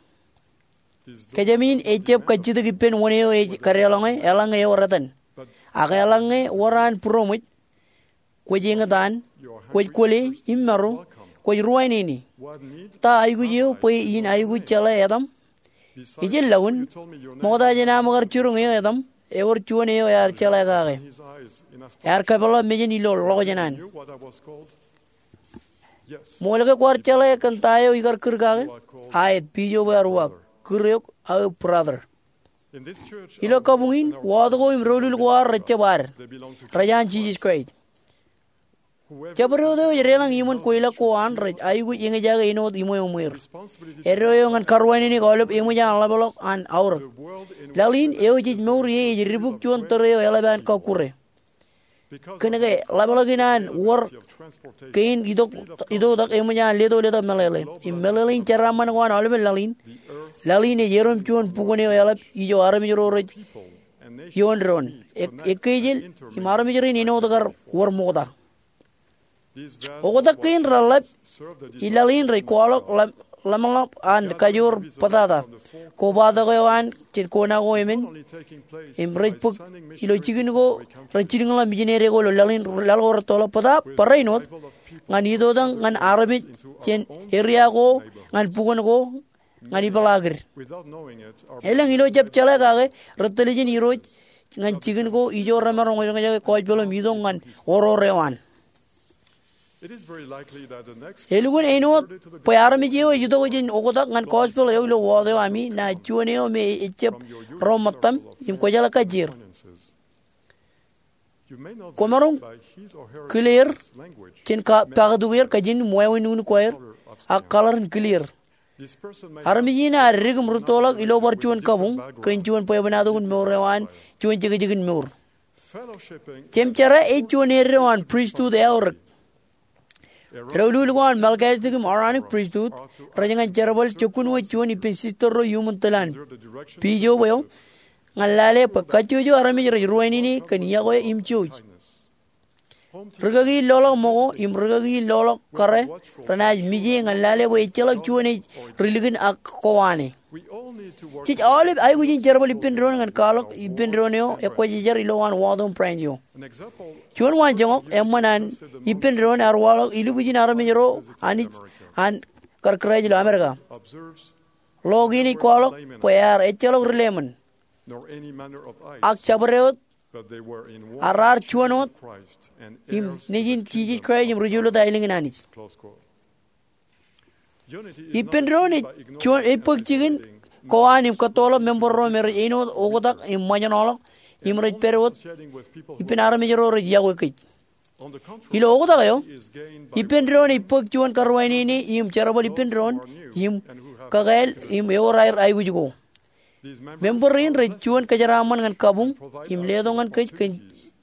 Kōjām in ejjab kajjitōk ippān wōn eo ej kadeḷọñe eḷaññe ewōr etan. Ak eḷaññe wōr an būroṃōj, kwōj eñtaan, kwōj kwōle im maro, kwōj ruwainene. Ta aikuj eo bwe in aikuj jeḷā etaṃ? Ijellọkin, ṃokta jān aṃ kar jiroñ eo etaṃ, ewōr juon eo ear jeḷā kake. Ear kapeḷḷọk mejān ilo ḷọkjeṇ an. Ṃool ke kwaar jeḷā kōn ta eo ikar kūr kake? Aet, pijo bwe ear uwaak, kūr eok aō brother. Ilo kabuñ in, wōt ko im doulul ko ad rejjab ad. Rej an Jisōs Kraist. Jabdewōt eo ej deḷọñ iṃōn kweilọk ko an rej aikuj eñjake āinwōt iṃweo ṃweer. Eddo eo ñan karwainene aolep eṃōj an ḷapḷọk an aorōk. Laḷ in eo jej mour ie ej dibuk juon tōre eo eḷap an kọkkure. Kōnke ḷapḷọk in an wōr kein itoitak eṃōj an leto letak meḷeḷe. Im meḷeḷein jeraaṃṃan ko an aolepen laḷ in, laḷ in ej erom juon bukwōn eo eḷap ijo armej ro rej ioon doon, ekkejel, im armej rein āinwōt kar wōr ṃokta. Oktak kein reḷap i laḷ in rej kwaḷọk ḷōmṇak an kajoor bōtata, kobatok eo an jān kona ko emān, im rej bōk ilo jikin ko rej jilkinḷọk mijinede ko ilo laḷ in, laḷ ko rettoḷọk bōtaab barāinwōt ñan itoitak ñan armej jān eria ko, ñan bukwōn ko, ñan ipeḷaakid. Elōñ ilo jab jeḷā kake, rej tōl jān Irooj ñan jikin ko ijo remaroñ ejañjake gospel im itok ñan oror eo an. Elukkuun āinwōt bwe armej eo ej itok jān oktak ñan gospel eo ilo wōt eo ami ṇa juon eo me ejjab ro ṃōttaṃ im kwōjeḷā kajjier. Kwōmaroñ kile er jān ka, paktuk er kajin im wāween nuknuk ko aer, ak kaḷar in kile er. Armej in ear dik im rūttoḷọk ilo bar juon kabuñ kōn juon bwebwenato in mour eo an juon jekjekin mour. Jemjerā ej juon eddo an pristut eaorōk. Doulul ko an Melchizedek im Aaronic pristut rej ñan jerbal jokkun wōt juon ippān sister ro iuṃwin tōl an, pijo bwe eo, ñan lale bwe kajjojo armej rej ruwainene kōn iọkwe im jouj. Rikaki in loḷọk ṃōko im rikaki in loḷọk kōrā renaaj mije ñan lale bwe ejjeḷọk juon ej ri likin ak kowaan e. Jej aolep aikuj in jerbal ippān doon ñan kwaḷọk ippān doon eo ekwōjarjar ilowaan wōt eo im branch eo. Juon waanjoñak eṃṃan an ippān doon ear waḷọk ilubwijin armej ro Anij an kar Kraist ilo Amerika. Ḷo kein ej kwaḷọk bwe ear ejjeḷọk ri lemon, ak jabdewōt, ak raar juon wōt im Nejin Jisōs Kraist im ri juulōt aelōñ in Anij. Ippān doon ej juon, ej bōk jikin kowaan im kōttoḷọk member ro me rej āinwōt oktak im ṃōjṇọḷọk im rej pād wōt ippān armej ro rej iọkwe kōj. Ilo oktak eo, ippān doon ej bōk juon karuwainene im jerbal ippān doon im kakāāl im ewōr aer aikuj ko. Member rein rej juon kōjeraaṃṃan ñan kabuñ im letok ñan kōj kōn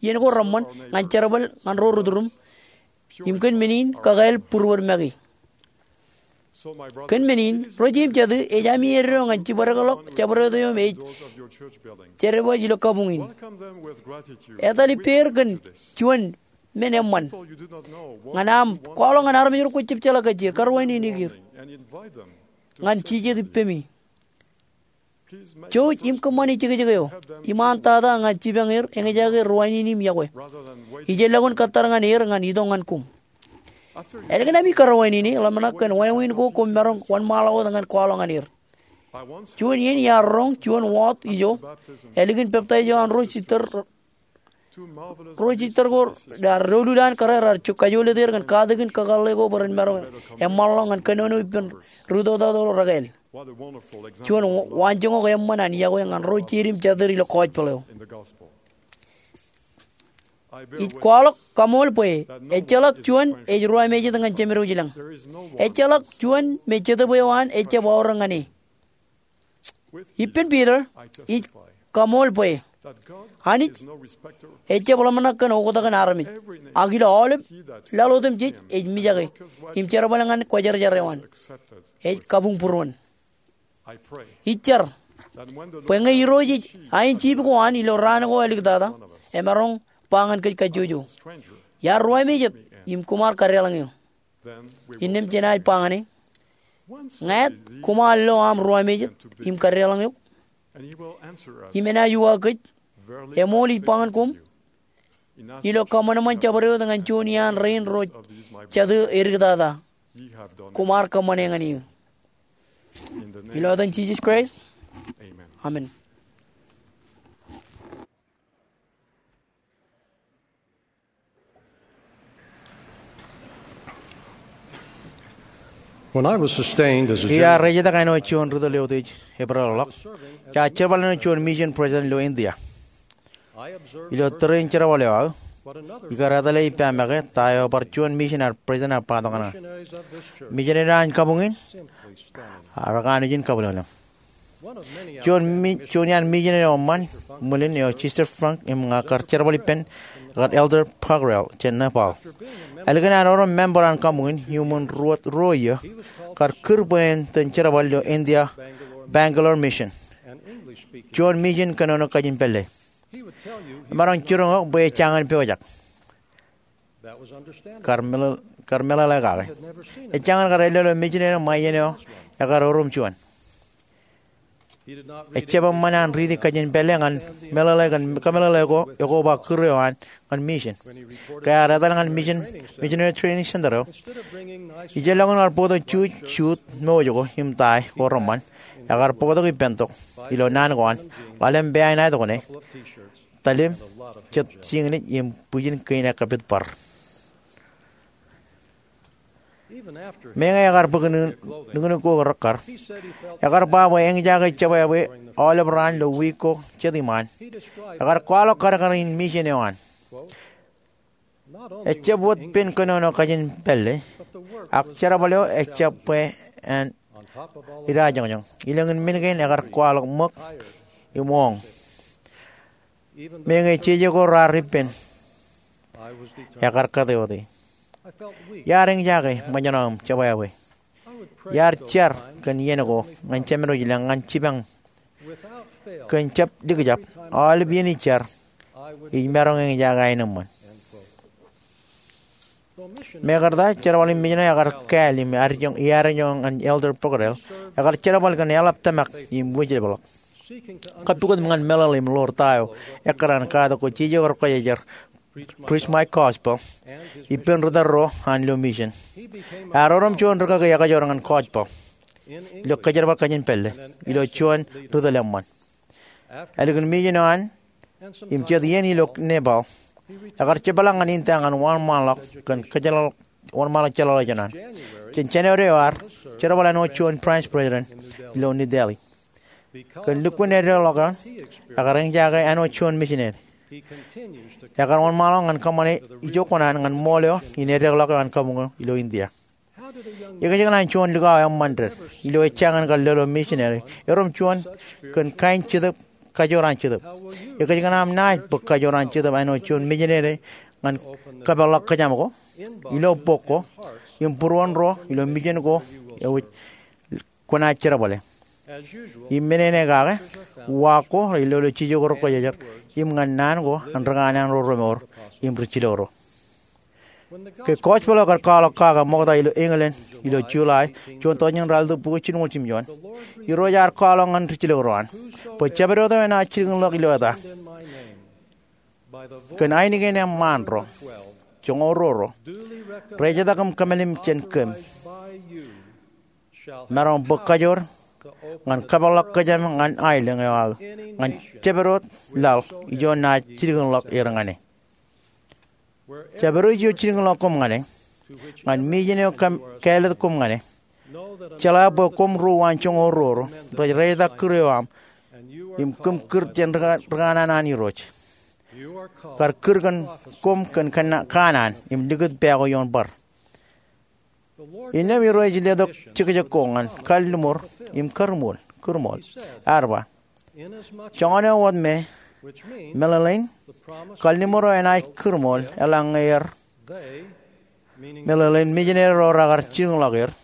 iien ko reṃṃan ñan jerbal ñan ro ri turuṃ im kōn men in kakāāl būruod make. Kōn men in, ro jeiū im jatū, ej ami eddo ñan jibadekḷọk jabdewōt eo me ej jerbal ilo kabuñ in. Etal ippāer kōn juon men eṃṃan. Ñan aṃ kwaḷọk ñan armej ro kwōj jab jeḷā kajjier, karuwaineneik er ñan jijet ippemi. Jouj im kōṃṃani jekjek eo im an tata ñan jipañ er eñjake ruwaineneik im yokwe. Ij elọk in kōttar ñan er ñan itok ñan koṃ. Ālikin ami karuwainene, ḷōmṇak kōn wāween ko koṃ maroñ wōnṃaanḷọk wōt ñan kwaḷọk ñan er. Juon iien iar roñ juon wōt ijo, ālikin peptaij eo an ro sister, ro sister ko raar doulul an kōrā raar kajoḷọk er kōn katakin kakōḷḷe ko bwe ren maroñ eṃṃanḷọk ñan kōnono ippān ri-tōtōt ro rekāāl. Juon waanjoñak eṃṃan an yokwe ñan ro jeid im jatid ilo gospel eo. Ij kwaḷọk kaṃool bwe ejjeḷọk juon ej ruwamāejet ñan Jemedwōj ilañ. Ejjeḷọk juon me Jetōb eo an ejjab aorōk ñan e. Ippān Peter, ij kaṃool bwe Anij ejjab ḷōmṇak kōn oktak in armej, ak ilo aolep laḷ otemjej ej mijake im jerbal ñan kwōjarjar eo an. Ej kabuñ būruon. Ij jar bwe ñe Irooj ej ain jiip ko an ilo raan ko āliktata, emaroñ ba ñan kōj kajjojo, "Iar ruwamāejet im koṃ ar kadeḷọñ eō." Innām jenaaj ba ñan e, "Ñāāt, koṃ ar lo aṃ ruwamāejet im kadeḷọñ eok?" Im enaaj uwaak kōj, "Eṃool ij ba ñan koṃ, ilo kaṃōṃōn jabdewōt ñan juon iaan rein ro jatid āliktata, koṃ ar kōṃṃane ñan eō." Ilo etan Jisōs Kraist, amen. When I was sustained as a Iar general, ejjetak āinwōt juon ri-tōl eutiej Eprel ḷọk, iar jerbal āinwōt juon mission president ilo India. Ilo tōre in jerbal eo aō, ikar etale ippa make ta eo bar juon mission ear president ear ba tok ñan aō. Missionary an kabuñ in, ak anij in kabwilōñlōñ. Juon mi-, juon iaan mission eo eṃṃan, ṃwilen eo Sister Funk im ña kar jerbal ippān, ekar Elder Pokhrel jān Nepal. Ālikin an erom member an kabuñ in iuṃwin ruo, ruo iiō, kar kūr bwe en itōn jerbal ilo India, Bangalore Mission. Juon mission kōnono kajin pālle. Emaroñ jiroñ eok bwe ejjañin pojak. Kar meḷeḷe, kar meḷeḷe kake. Ejjañin kar ellolo mission eo ṃae iien eo ekar erom juon. Ejjab eṃṃan an riiti kajin pālle ñan meḷeḷe kōn kameḷeḷe ko ekoba kūr eo an ñan mission. Ke ear etal ñan mission, missionary training center eo, ijellọkin kar bōktok juuj, juut, mouj ko im tie ko reṃṃan, ekar bōktok ippān tok ilo naan ko an, ḷalem pāān aetok ṇe, talim, jet jiñlij im bwijin kein ekkapit bar. Meñe ekar bōk nuknuk ko rekkar, ekar ba bwe eñjake jebwābwe aolep raan ilo wiik ko jet iṃaan. Ekar kwaḷọk kadkad in mission eo an. Ejjab wōt pen kōnono kajin pālle, ak jerbal eo ejjab bwe en idajoñjoñ. Ilōñ in men kein ekar kwaḷọk ṃōk im oñ. Meñe jeje ko raar ippān, ekar kate wōt e. Iar eñjake ṃōjṇọ im jebwābwe. Iar jar kōn iien ko ñan Jemedwōj ilañ ñan jipañ kōn jab likjab, aolep iien ij jar, ij maroñ eñjake aenōṃṃan. Mekarta, jerbal in mission eo ekar kāāl im iar eñjake ñan Elder Pokhrel, ekar jerbal kōn eḷap tōmak im wūjlepḷọk. Kappukot im ñan meḷeḷe im ḷoor ta eo ekkar an katak ko jeje ko rekwōjarjar, Preach My Gospel, ippān ri-tōl ro an ilo mission. Ear erom juon rikaki ekajoor ñan gospel ilo kōjerbal kajin pālle ilo juon ri-tōl eṃṃan. Ālikin mission eo an im jet iien ilo Nepal, ekar jepḷaak ñan India ñan wōnṃaanḷọk kōn kōjjeḷāḷọk, wōnṃaanḷọk jeḷāḷọkjeṇ an. Jān January eo ear jerbal āinwōt juon branch president ilo New Delhi. Kōn lukkuun eddekḷọk eo an, ekar eñjake āinwōt juon missionary. Ekar wōnṃaanḷọk ñan kōṃṃane ijo kuṇaan ñan ṃool eo in eddekḷọk eo an kabuñ eo ilo India. Ekōjkan an juon likao eṃṃan ded ilo ejjañin kar lolo missionary, erom juon kōn kain jetōb, kajoor an jetōb? Ekōjkan aṃ naaj bōk kajoor an jetōb āinwōt juon missionary ñan kapeḷḷọk kōjām ko ilo bok ko im būruon ro ilo mission ko eo kwōnaaj jerbale? Im men eo kake, uwaak ko rej lolo jijet ko ro kwōjarjar im ñan naan ko an ri kanaan ro remour im ri jilkinḷọk ro. Ke kọspeḷ eo ekar kwaḷọk kake ṃokta ilo England ilo July, juon tọujin raelōñ bukwi jilñuul jimjuon, Irooj ear kwaḷọk ñan ri jilkinḷọk ro an, bwe jabdewōt eo enaaj jilkinḷọk ilo eta kōn ainikien eṃṃaan ro, joñoul ruo ro, rejetak im kōmālim jān kōm, maroñ bōk kajoor ñan kōpeḷḷọk kōjām ñan aelōñ eo aō ñan jabdewōt laḷ ijo naaj jilkinḷọk er ñan e. Jabdewōt ijo jilkinḷọk koṃ ñan e, ñan mejān eo kāālōt koṃ ñan e, jeḷā bwe koṃ ruo an joñoul ruo ro rej rejetak kūr eo aṃ im kōm kūr jān ri kanaan an Irooj. Kar kūr kōn koṃ kōn kanaan im likūt pā ko ioon bar. Innām Irooj ej letok jekjek ko ñan kalliṃur im kūrmool, kūrmool. Ear ba, joñan eo wōt me, meḷeḷein, kalliṃur eo enaaj kūrmool eḷaññe er, meḷeḷein mejān ro rekar jilkinḷọk er,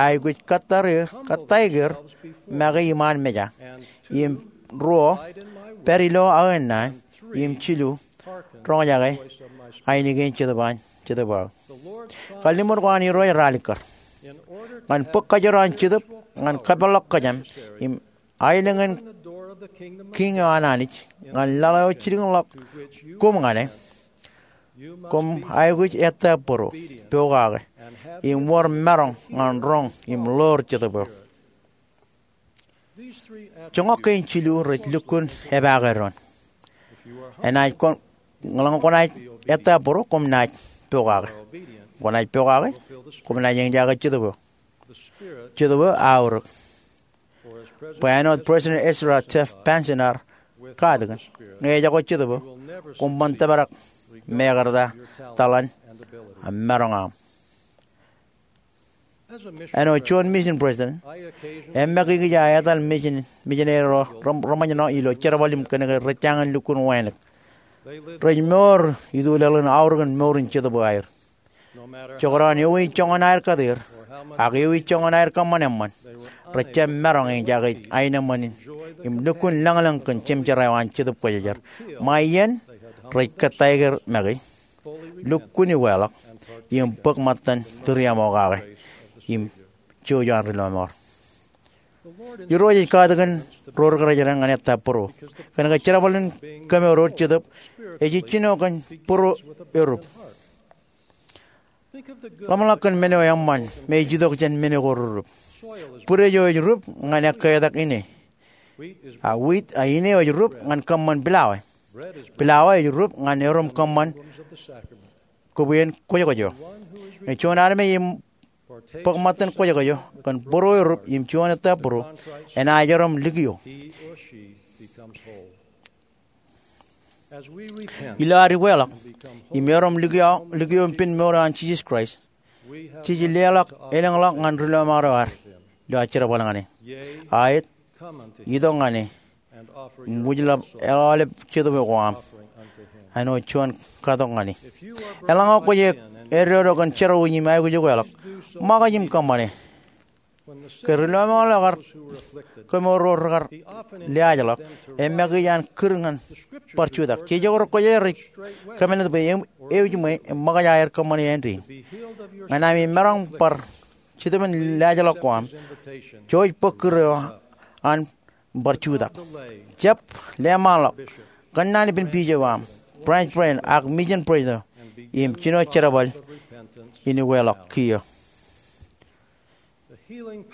aikuj kōttāik er make iṃaan meja, im ruo, pād ilo aō naan, im jilu, roñjake ainikien Jetōb aō. Kalliṃur ko an Irooj ralitōk ñan bōk kajoor an Jetōb ñan kōpeḷḷọk kōjām im aelōñ in Kiiñ eo an Anij ñan laḷ eo jilkinḷọk koṃ ñan e. Koṃ aikuj ettā bōro, pokake, im wōr maroñ ñan roñ im ḷoor Jetōb eo. Joñak kein jilu rej lukkuun epaake doon. Enaaj, eḷaññe kwōnaaj ettā bōro, koṃ naaj pokake. Kwōnaaj pokake, koṃ naaj eñjake Jetōb eo. Jetōb eo aorōk. Bwe āinwōt President Ezra Taft Benson ear katakin, ñe ejako Jetōb eo, koṃ ban tōprak mekarta taḷan im maroñ aṃ. Āinwōt juon mission president, emmakikij aō etal mission, missionary ro reṃōjṇọ ilo jerbal im kōnke rej jañin lukkuun wānōk. Rej mour ituḷāāl in aorōk in mour in Jetōb eo aer. Jekdọọn ewi joñan aer kate er, ak ewi joñan aer kōṃṃan eṃṃan, rej jab maroñ eñjake aenōṃṃan in im lukkuun lañlōñ kōn jemjerā eo an Jetōb Kwōjarjar ṃae iien rej kōttāik er make, lukkuun uweḷọk, im bōk ṃōttan tūriaṃokake im jouj an ri lọmọọr. Irooj ej katakin ro ri kōrejrāān ñan ettā bōro, kōnke jerbal in kemour Jetōb ej jino kōn bōro erūp. Ḷōmṇak kōn men eo eṃṃan me ej itok jān men ko rerup. Bwidej eo ej rup ñan ekkeetak ine. A wheat, a ine eo ej rup ñan kōṃṃan pilawa. Pilawa ej rup ñan erom kōṃṃan kobwiin kwōjkwōj eo. Ñe juon armej im bōk ṃōttan kwōjkwōj eo kōn bōro erup im juon ettā bōro, enaaj erom likio. Ilo ad uweḷọk im erom likio, likio im pen mour eo an Jisōs Kraist, jej leḷọk elōñḷọk ñan ri lọmọọr eo ad ilo ad jerbal ñan e. Aet, itok ñan e im wūjḷọk aolep jetōb eo ko aṃ. Āinwōt juon katok ñan e. Eḷaññe kwōj eddodo kōn jerọwiwi im aikuj uweḷọk, ṃōkaj im kōṃṃane. Ke ri lọmọọr eo kar kemour ro rekar liaajḷọk, emmakij an kūr ñan bar jutak. Jeje ko ro kwōjarjar rej kōmālōt bwe eō, eō jiṃwe im ṃōkaj aer kōṃṃane āindein. Ñan ami maroñ bar Jetōb in liaajḷọk ko aṃ, jouj bōk kūr eo an bar jutak. Jab leṃaanḷọk, kōnnaan ippān bishop eo aṃ, branch president ak mission president eo, im jino jerbal in uweḷọk kiiō.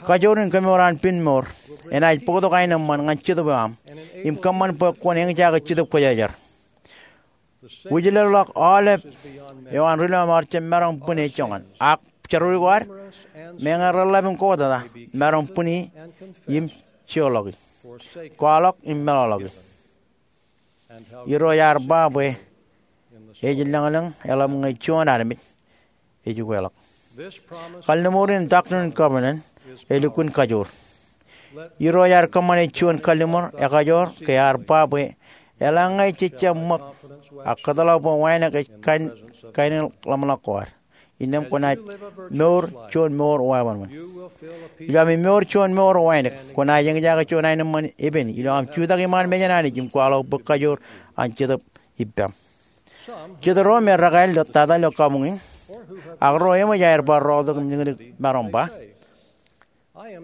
Kajoor in kemour an pen mour enaaj bōktok aenōṃṃan ñan jetōb eo aṃ im kōṃṃan bwe kwōn eñjake Jetōb Kwōjarjar. Wūjlepḷọk aolep eo an ri lọmọọr jab maroñ bwine joñan, ak jerọwiwi ko ad, meñe reḷḷap im kōtata, maroñ bwini im joḷọki, kwaḷọk im meḷọkḷọki. Irooj ear ba bwe ej lañlōñ eḷap ñe juon armej ej uweḷọk. Kalliṃur in Doctrine and Covenants elukkuun kajoor. Irooj ear kōṃṃane juon kalliṃur ekajoor ke ear ba bwe eḷaññe jej jab ṃōk, ak kōtḷọk bwe wānōk ej kain, kain in ḷōmṇak ko ad. innām kwōnaaj mour juon mour wāween. Ilo ami mour juon mour wānōk, kwōnaaj eñjake juon aenōṃṃan epen ilo aṃ jutak iṃaan mejān Anij im kwaḷọk bōk kajoor an Jetōb ippaṃ. Jet ro me rekāāl tata ilo kabuñ in, ak ro eṃōj aer bar rọọltok im likūtik maroñ ba,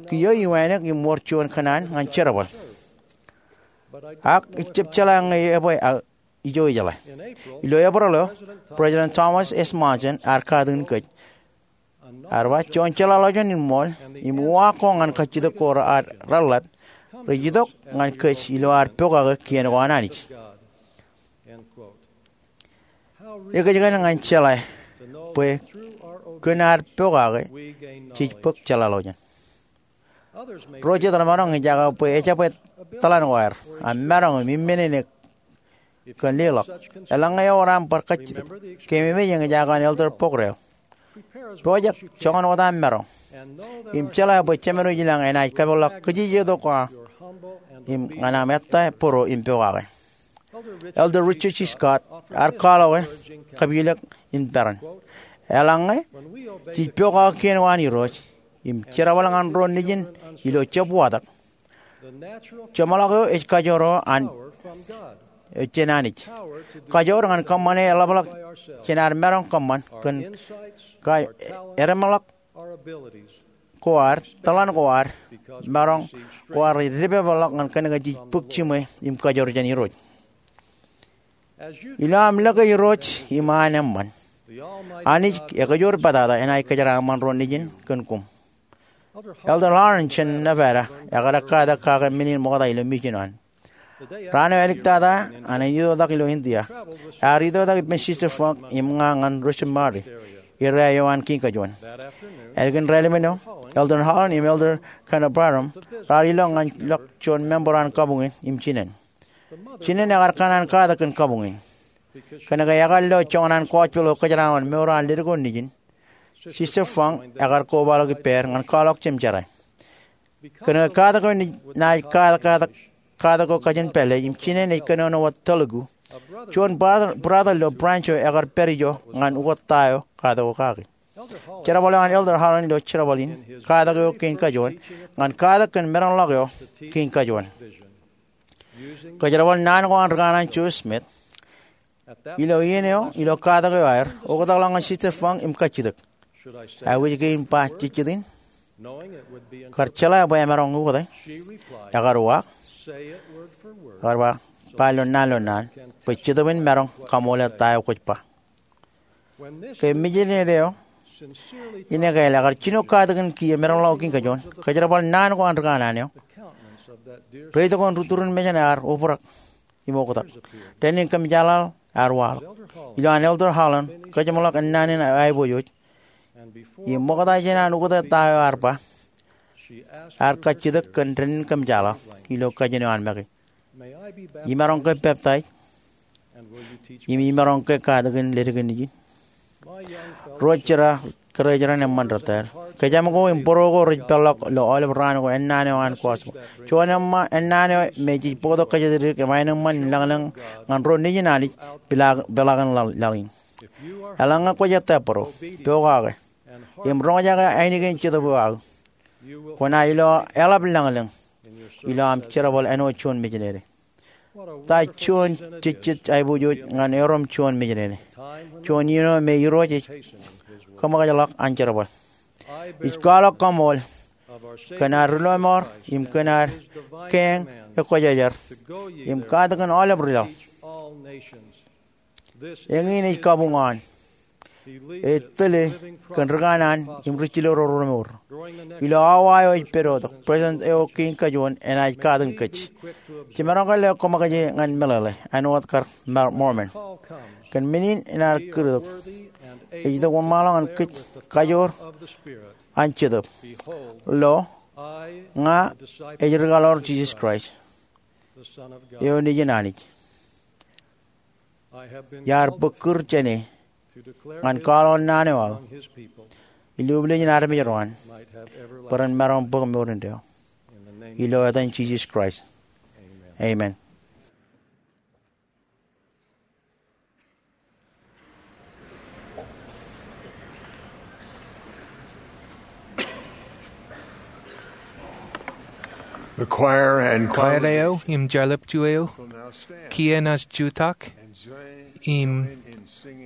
kiiō iwānōk im wōr juon kōṇaan ñan jerbal. Ak ij jab jeḷā ñe ebwe aō ijo ijeḷā. Ilo Eprel eo, President Thomas S. Monson ear katakin kōj, ear ba, juon jeḷāḷọkjeṇ in ṃool im uwaak ko ñan kajjitōk ko raar reḷḷap rej itok ñan kōj ilo ad pokake kien ko an Anij. Ekōjkan ñan jeḷā bwe kōn ad pokake jej bōk jeḷāḷọkjeṇ. Ro jet remaroñ in eñjake bwe ejabwe tōḷan ko aer, a maroñ im imminene kōn leḷọk. Eḷaññe ewōr aṃ bar kajjitōk, keememej eñjake an Elder Pokdale. Pojak joñan wōt aṃ maroñ im jeḷā bwe Jemān eo ilañ enaaj kapeḷḷọk kajjitōk ko aṃ im ñan aṃ ettā bōro im pokake. Elder Richard G. Scott ear kwaḷọke kapilōk in peran, eḷaññe jej pokake kien ko an Irooj im jerbal ñan ro nejin ilo jab watōk, jeṃḷọk eo ej kajoor eo an jān Anij. Kajoor ñan kōṃṃane eḷapḷọk jān ad maroñ kōṃṃan kōn ka edeṃḷọk ko ad, tōḷan ko ad, maroñ ko ad rej depepeḷḷọk ñan kōnke jej bōk jiṃwe im kajoor jān Irooj. Ilo aṃ lōke Irooj im an eṃṃan, Anij ekajoor pātata enaaj kōjeraaṃṃan ro nejin kōn koṃ. Elder Holland jān Nevada ekar katak kake men in ṃokta ilo mission eo an. Raan eo āliktata an itoitak ilo India, ear itoitak ippān Sister Funk im ña ñan Richmond, Missouri, area eo an kiiñ kajuon. Ālikin raelep eo, Elder Holland im Elder Kanaparam raar ilọk ñan ḷọk juon member an kabuñ in im jinen. Jinen ekar kōṇaan katak kōn kabuñ in. Kōnke ekar lo joñan an gospel eo kōjeraaṃṃan mour an ledik eo nejin, Sister Funk ekar kobaḷọk ippāer ñan kwaḷọk jemjerā. Kōnke katak eo naaj katak, katak eo kajin pālle im jinen ej kōnono wōt Telugu, juon brother, brother ilo branch eo ekar pād ijo ñan ukōt ta eo katak eo kaki. Jerbal eo an Elder Holland ilo jerbal in katak eo kein kajoon ñan katak kōn merenḷọk eo kein kajoon. Kōjerbal naan ko an rikaaṇaan Joseph Smith, ilo iien eo, ilo katak eo aer, oktakḷọk ñan Sister Funk im kajjitōk. Aikuj kein ba jejjet in? Kar jeḷā bwe emaroñ ukōte, ekar uwaak, ekar ba, ba ilo naan ilo naan, bwe Jetōb in maroñ kaṃoole ta eo kwōj ba. Ke mijinede eo in ekāāl ekar jino katakin kiiō merenḷọk eo kein kajoon, kōjerbal naan ko an rikaaṇaan eo, reitok in ri-turin mejān ear obrak im oktak. Dān in kōmjaaḷaḷ ear waḷọk. Ilo an Elder Holland kōjeṃḷọk ennaan in aiboojoj, im ṃokta jān an ukōte ta eo ear ba, ear kajjitōk kōn dān in kōmjaaḷaḷ ilo kajin eo an make. Imaroñ ke peptaij? Im imaroñ ke katakin ledik in nejin? Ro jera, kōrā jera eṃṃan rōtaer. Kōjām ko im bōro ko rej peḷḷọk ilo aolep raan ko ennaan eo an gospel. Juon eṃṃan ennaan eo me jej bōktok kōjatdikdik im aenōṃṃan in lañlōñ ñan ro nejin Anij peḷaakin laḷ, laḷ in. Eḷaññe kwōj ettā bōro, pokake, im roñjake ainikien Jetōb eo aō, kwōnaaj lo eḷap lañlōñ ilo aṃ jerbal āinwōt juon mijinede. Ta juon jejjet aiboojoj ñan erom juon mijinede. Juon iien eo me Irooj ej kōṃōkajḷọk an jerbal. Ij kwaḷọk kaṃool kōn ad ri-lọmọọr im kōn ad keeñ ekwōjarjar im katakin aolep ri-laḷ. Eñin ej kabuñ eo an. Ej tōl kōn rikaaṇaan im ri-jilō ro remour. Ilo awa eo ej pedotok, President eo kein kajoon enaaj katakin kōj. Jemaroñ ke lo koṃ kōjatdikdik ñan meḷeḷe, āinwōt kar Mormon. Kōn men in enaaj kūrtok, ej itok wōnṃaanḷọk ñan kōj kajoor an Jetōb. Lo, ña ej rikaḷoor Jisōs Kraist, eo Nejin Anij. Iar bōk kūr jāne ñan kwaḷọk naan eo aō ilo ubōl ijin armej ro an, bwe ren maroñ bōk mour indeeo. Ilo etan Jisōs Kraist, amen. Kwaer eo im jarlepju eo, kiiō naaj jutak im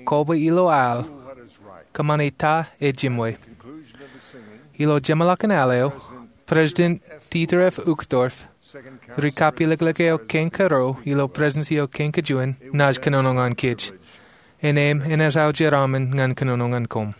kobwe ilo al, Kōṃṃani Ta Ejimwe. Ilo jeṃḷọkin al eo, President Dieter F. Uchtdorf, ri kapilōklōk eo kein karuo ilo Presidensi eo kein kajuon, naaj kōnono ñan kōj. Ennem, enaaj aō jeraaṃṃan ñan kōnono ñan koṃ.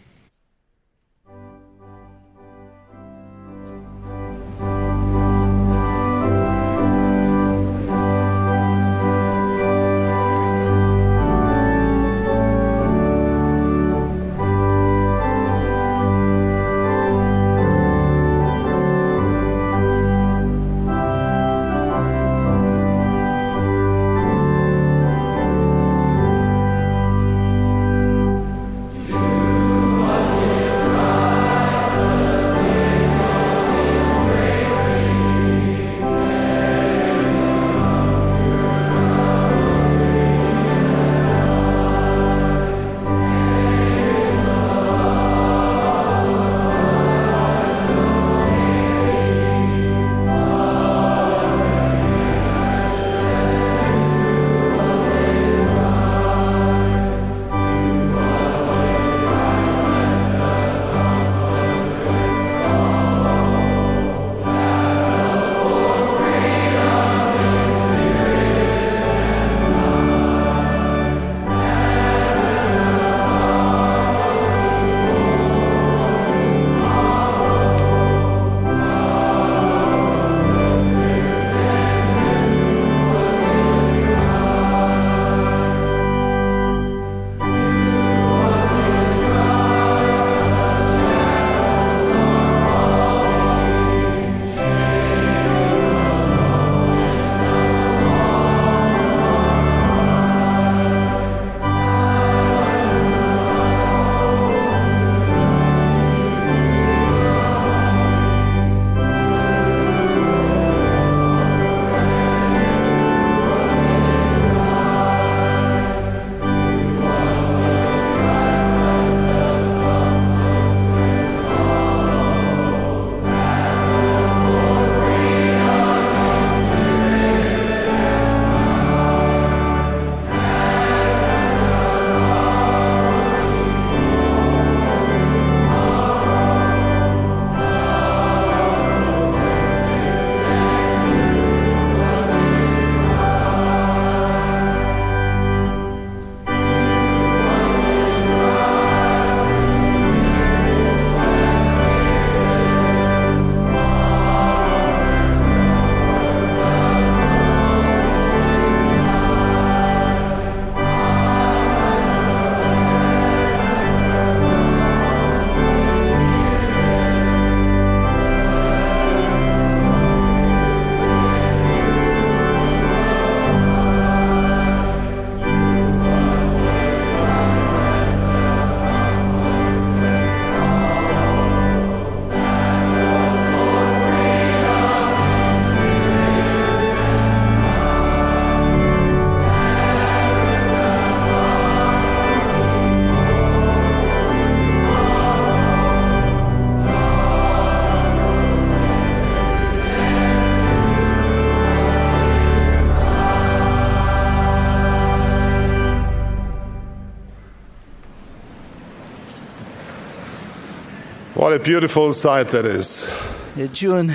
What a beautiful sight that is. Ej juon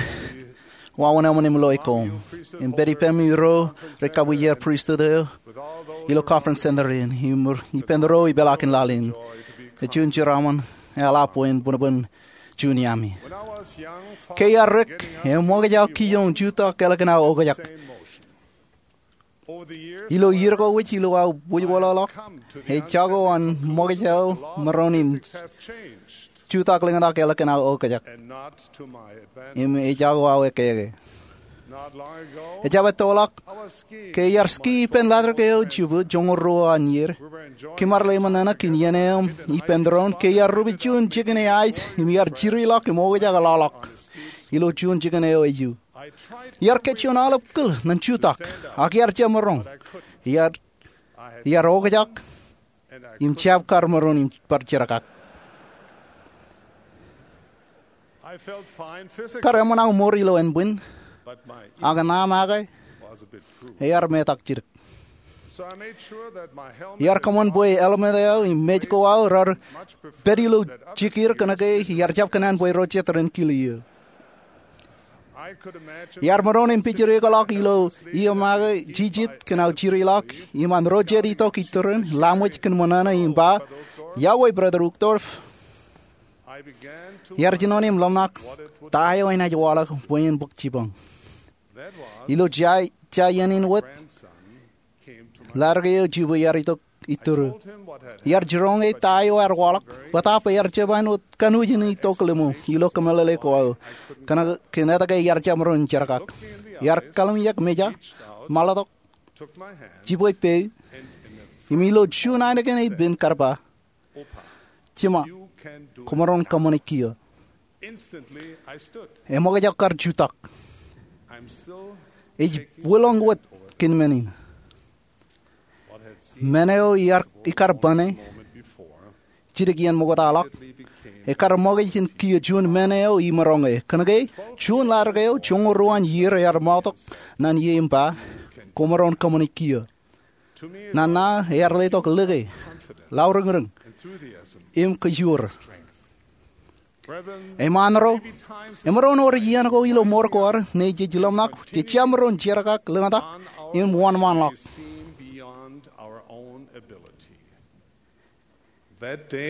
wāween eṃṃan im loe koṃ im pād ippemi ro rej kabwijer pristut eo ilo Conference Center in im ippān ro ipeḷaakin laḷ in. Ej juon jeraaṃṃan eḷap bwe en bōnbōn juon iaami. Ke iar dik, eṃōkaj aō kiiō in jutak ālikin aō okjak. Ilo iiō ko wōj ilo aō bwijwoḷọkḷọk, ej jako an ṃōkaj aō maroñ in jutak lōñtak ālikin aō okjak im ej jako aō ekkeke. Ejjab ettoḷọk, ke iar ski ippān ḷaddik eo jubu joñoul ruo an iiō, kōm ar lale ṃōṇōṇō kōn iien eo im ippān doon ke iar rupe juon jikin eaij im iar jirilọk im okjak ḷọkḷọk ilo juon jikin eo eju. Iar kōj juon aolep kūr ñan jutak, ak iar jab maroñ. Iar, iar okjak im jab kar maroñ im bar jerkak. Kar eṃṃan aō mour ilo ānbwin. Ak ṇa make ear metak jidik. Iar kōṃṃan bwe helmet eo im mej ko aō rar pād ilo jikier kōnke iar jab kōṇaan bwe ro jet ren kile eō. Iar maroñ in pijjirikḷọk ilo iiō make jijit kōn aō jirilọk im an ro jet itok itūrin, laṃōj kōn ṃōṇōṇō im ba, "Iọkwe, Brother Uchtdorf." Iar jino im ḷōmṇak ta eo enaaj waḷọk bwe en bōk jibōñ. Ilo ja, ja iien in wōt, ladik eo jibwe iar itok itūrū. Iar jiroñe ta eo ear waḷọk, bōtaab ear jab āinwōt kanooj in itok ḷimō ilo kōmeḷeḷe ko aō, kōn etke iar jab maroñ in jerkak. Iar kallimjek meja, maḷotok, jibwe peiū, im ilo juon ainikien epen kar ba, "Jema, koṃaroñ kōṃṃane kiiō." Eṃōkaj aō kar jutak. Ej wilọñ wōt kōn men in. Men eo iar ikar bane jidik iien ṃoktaḷọk, ekar ṃōkaj in kiiō juon men eo imaroñe. Kōnke juon ladik eo joñoul ruo an iiō ear ṃaotok ñan ie im ba, "Koṃaroñ kōṃṃane kiiō." Ñan ṇa ear letok lōke, lauriñriñ, im kōjuor. Eṃṃaan ro, emaroñ wōr iien ko ilo mour ko ad ṇe jej ḷōmṇak jej jab maroñ jerkak, lōñtak, im wōnṃaanḷọk.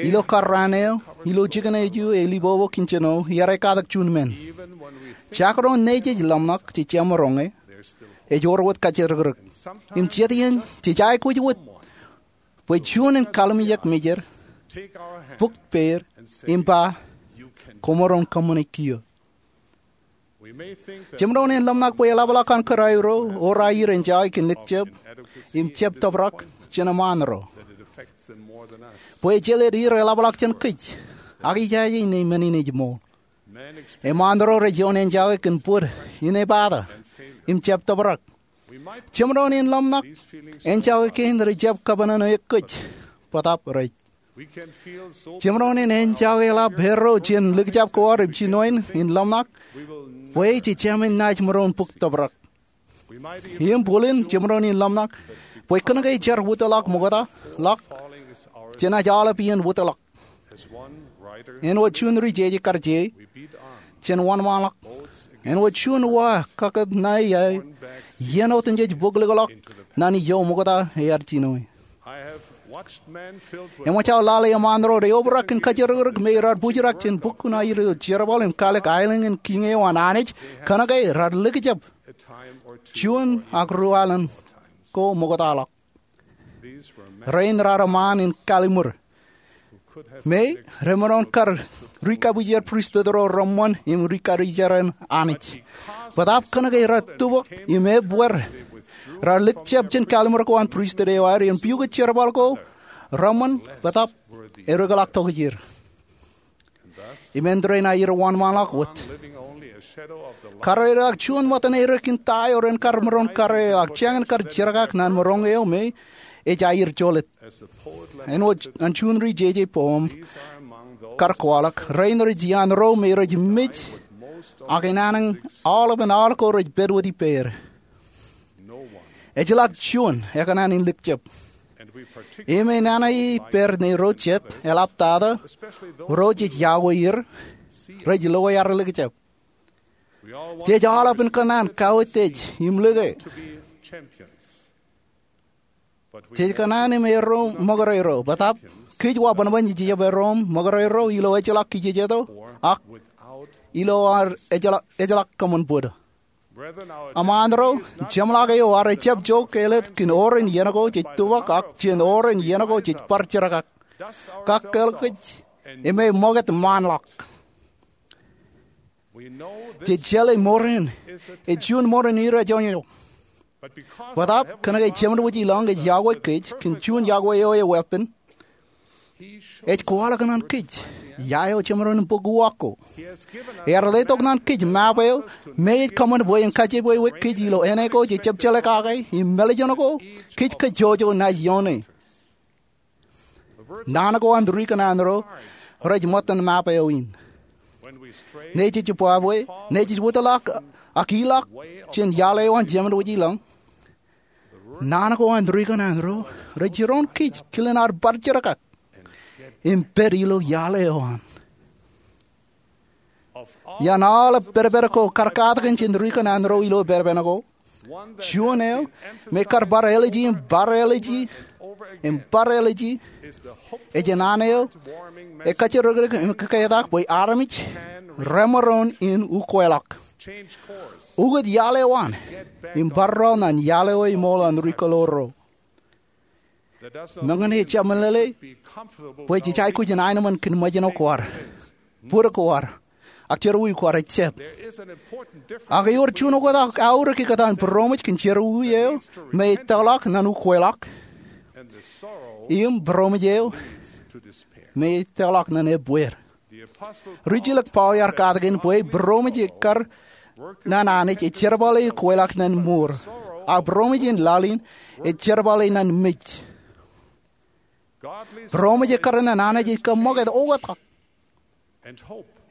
Ilo kar raan eo, ilo jikin eo ej libobo kōn jino, iar ekatak juon men. Jaakdoon ṇe jej ḷōmṇak jej jab maroñe, ej wōr wōt kajjirikdik. Im jet iien jej aikuj wōt bwe juon en kallimjek mejed, bōk peied, im ba, "Koṃaroñ kōṃṃane kiiō." Jemaroñ in ḷōmṇak bwe eḷapḷọk an kōrā ro, ro aer ejake kōn likjab im jab tōprak jān eṃṃaan ro. Bwe ejjeḷọk er eḷapḷọk jān kōj, ak ijaje ṇe men in ej ṃool. Eṃṃaan ro rej ioon ejake kōn bōd, inepata, im jab tōprak. Jemaroñ in ḷōmṇak ejake kein rej jab kōpooṇōṇō kōj, bōtaab rej. Jemaroñ in ejake eḷap erro jān likjab ko ad im jinoin in ḷōmṇak bwe jej jemān naaj maroñ bōk tōprak. Im bōlen jemaroñ in ḷōmṇak bwe kōnke jar wūtḷọk ṃoktaḷọk, jenaaj aolep iien wūtḷọk. Āinwōt juon ri jeje kar je, jen wōnṃaanḷọk. Āinwōt juon wa kakōtnāi aō, iien otemjej bōk likḷọk ñan ijo ṃokta ear jinoe. Eṃōj aō lale eṃṃaan ro reobrak kōn kajjirikdik me raar bōjrak jān bukwōn aer ilo jerbal im kaalikkar aelōñ in kiiñ eo an Anij, kōnke raar likjab juon ak ruo alen ko ṃoktaḷọk. Rein raar eṃṃaan in kalliṃur me remaroñ kar ri-kabwijer pristut ro reṃṃan im ri-kabwijer an Anij. Bōtaab kōnke raar tupok im ebbeer, raar likjab jān kalliṃur ko an pristut eo aer im pukot jerbal ko reṃṃan, bōtaab ereokḷọk tokjāer. Im āindein aer wōnṃaanḷọk wōt. Karreoḷọk juon ṃōttan er kōn ta eo ren kar maroñ karreoḷọk, jān kar jerkak ñan maroñ eo me ej aer jolōt. Āinwōt an juon ri jeje poem kar kwaḷọk, rein rej iaan ro me rej mej, ak enana aolepān aolep ko rej pād wōt ippāer. Ejjeḷọk juon ekōṇaan in likjab. Im enana ippāer ṇe ro jet eḷaptata, ro jej iọkwe er, rej loe ad likjab. Jej aolepān kōṇaan kauwōj tej im lōke. Jej kōṇaan im erro ṃōkdero, bōtaab kōj wa bōnbōn jej jab erro im ṃōkdero ilo ejjeḷọk kijejeto, ak ilo ad ejjeḷọk, ejjeḷọk kōṃṃan bōd. Eṃṃaan ro, jeṃḷọk eo ad jab jo kāālōt kōn oren iien ko jej tupok ak jān oren iien ko jej bar jerkak. Kōkāāl kōj im eṃōkaj ṃaanḷọk. Jej jeḷā mour in ej juon mour in irooj. Bōtaab kōnke Jemedwōj i lañ ej iọkwe kōj kōn juon iọkwe eo eweeppān, ej kwaḷọk ñan kōj ia eo jemaroñ in bōk uwaak ko. Ear letok ñan kōj map eo me ej kōṃṃan bwe en kajepweiwe kōj ilo āne ko jej jab jeḷā kake im mālejjān ko kōj kajjojo naaj ioone. Naan ko an ri kōṇaan ro rej ṃōttan map eo in. Ṇe jej bwabwe, ṇe jej wūtḷọk ak ilọk jān iaḷ eo an jemān wōj ilọñ, naan ko an ri kanaan ro rej jiroñ kōj kilen ad bar jerkak im pād ilo iaḷ eo an. Iaan aolep pedped ko kar katakin jān ri kanaan ro ilo pepen ko, juon eo me kar bar ālije im bar ālije im bar ālije ej naan eo ekajjirikdik im kōketak bwe armej remaroñ in ukweḷọk, ukōt iaḷ eo an, im bar rọọl ñan iaḷ eo eṃool an ri kōḷoor ro. Meñe ejjab meḷeḷe bwe jej aikuj in aenōṃṃan kōn ṃōjṇọ ko ad, bōd ko ad, ak jerọwiwi ko ad, ejjab. Ak ewōr juon oktak aorōk ikōtaan būroṃōj kōn jerọwiwi eo me ej tōkḷọk ñan ukweḷọk, im būroṃōj eo me ej tōkḷọk ñan ebbeer. Rijilōk Paul ear katakin bwe būroṃōj ekar ñan Anij ej jerbale ukweḷọk ñan mour, ak būroṃōj in laḷ in ej jerbale ñan mej. Būroṃōj ekar ñan Anij ej kaṃṃoolol oktak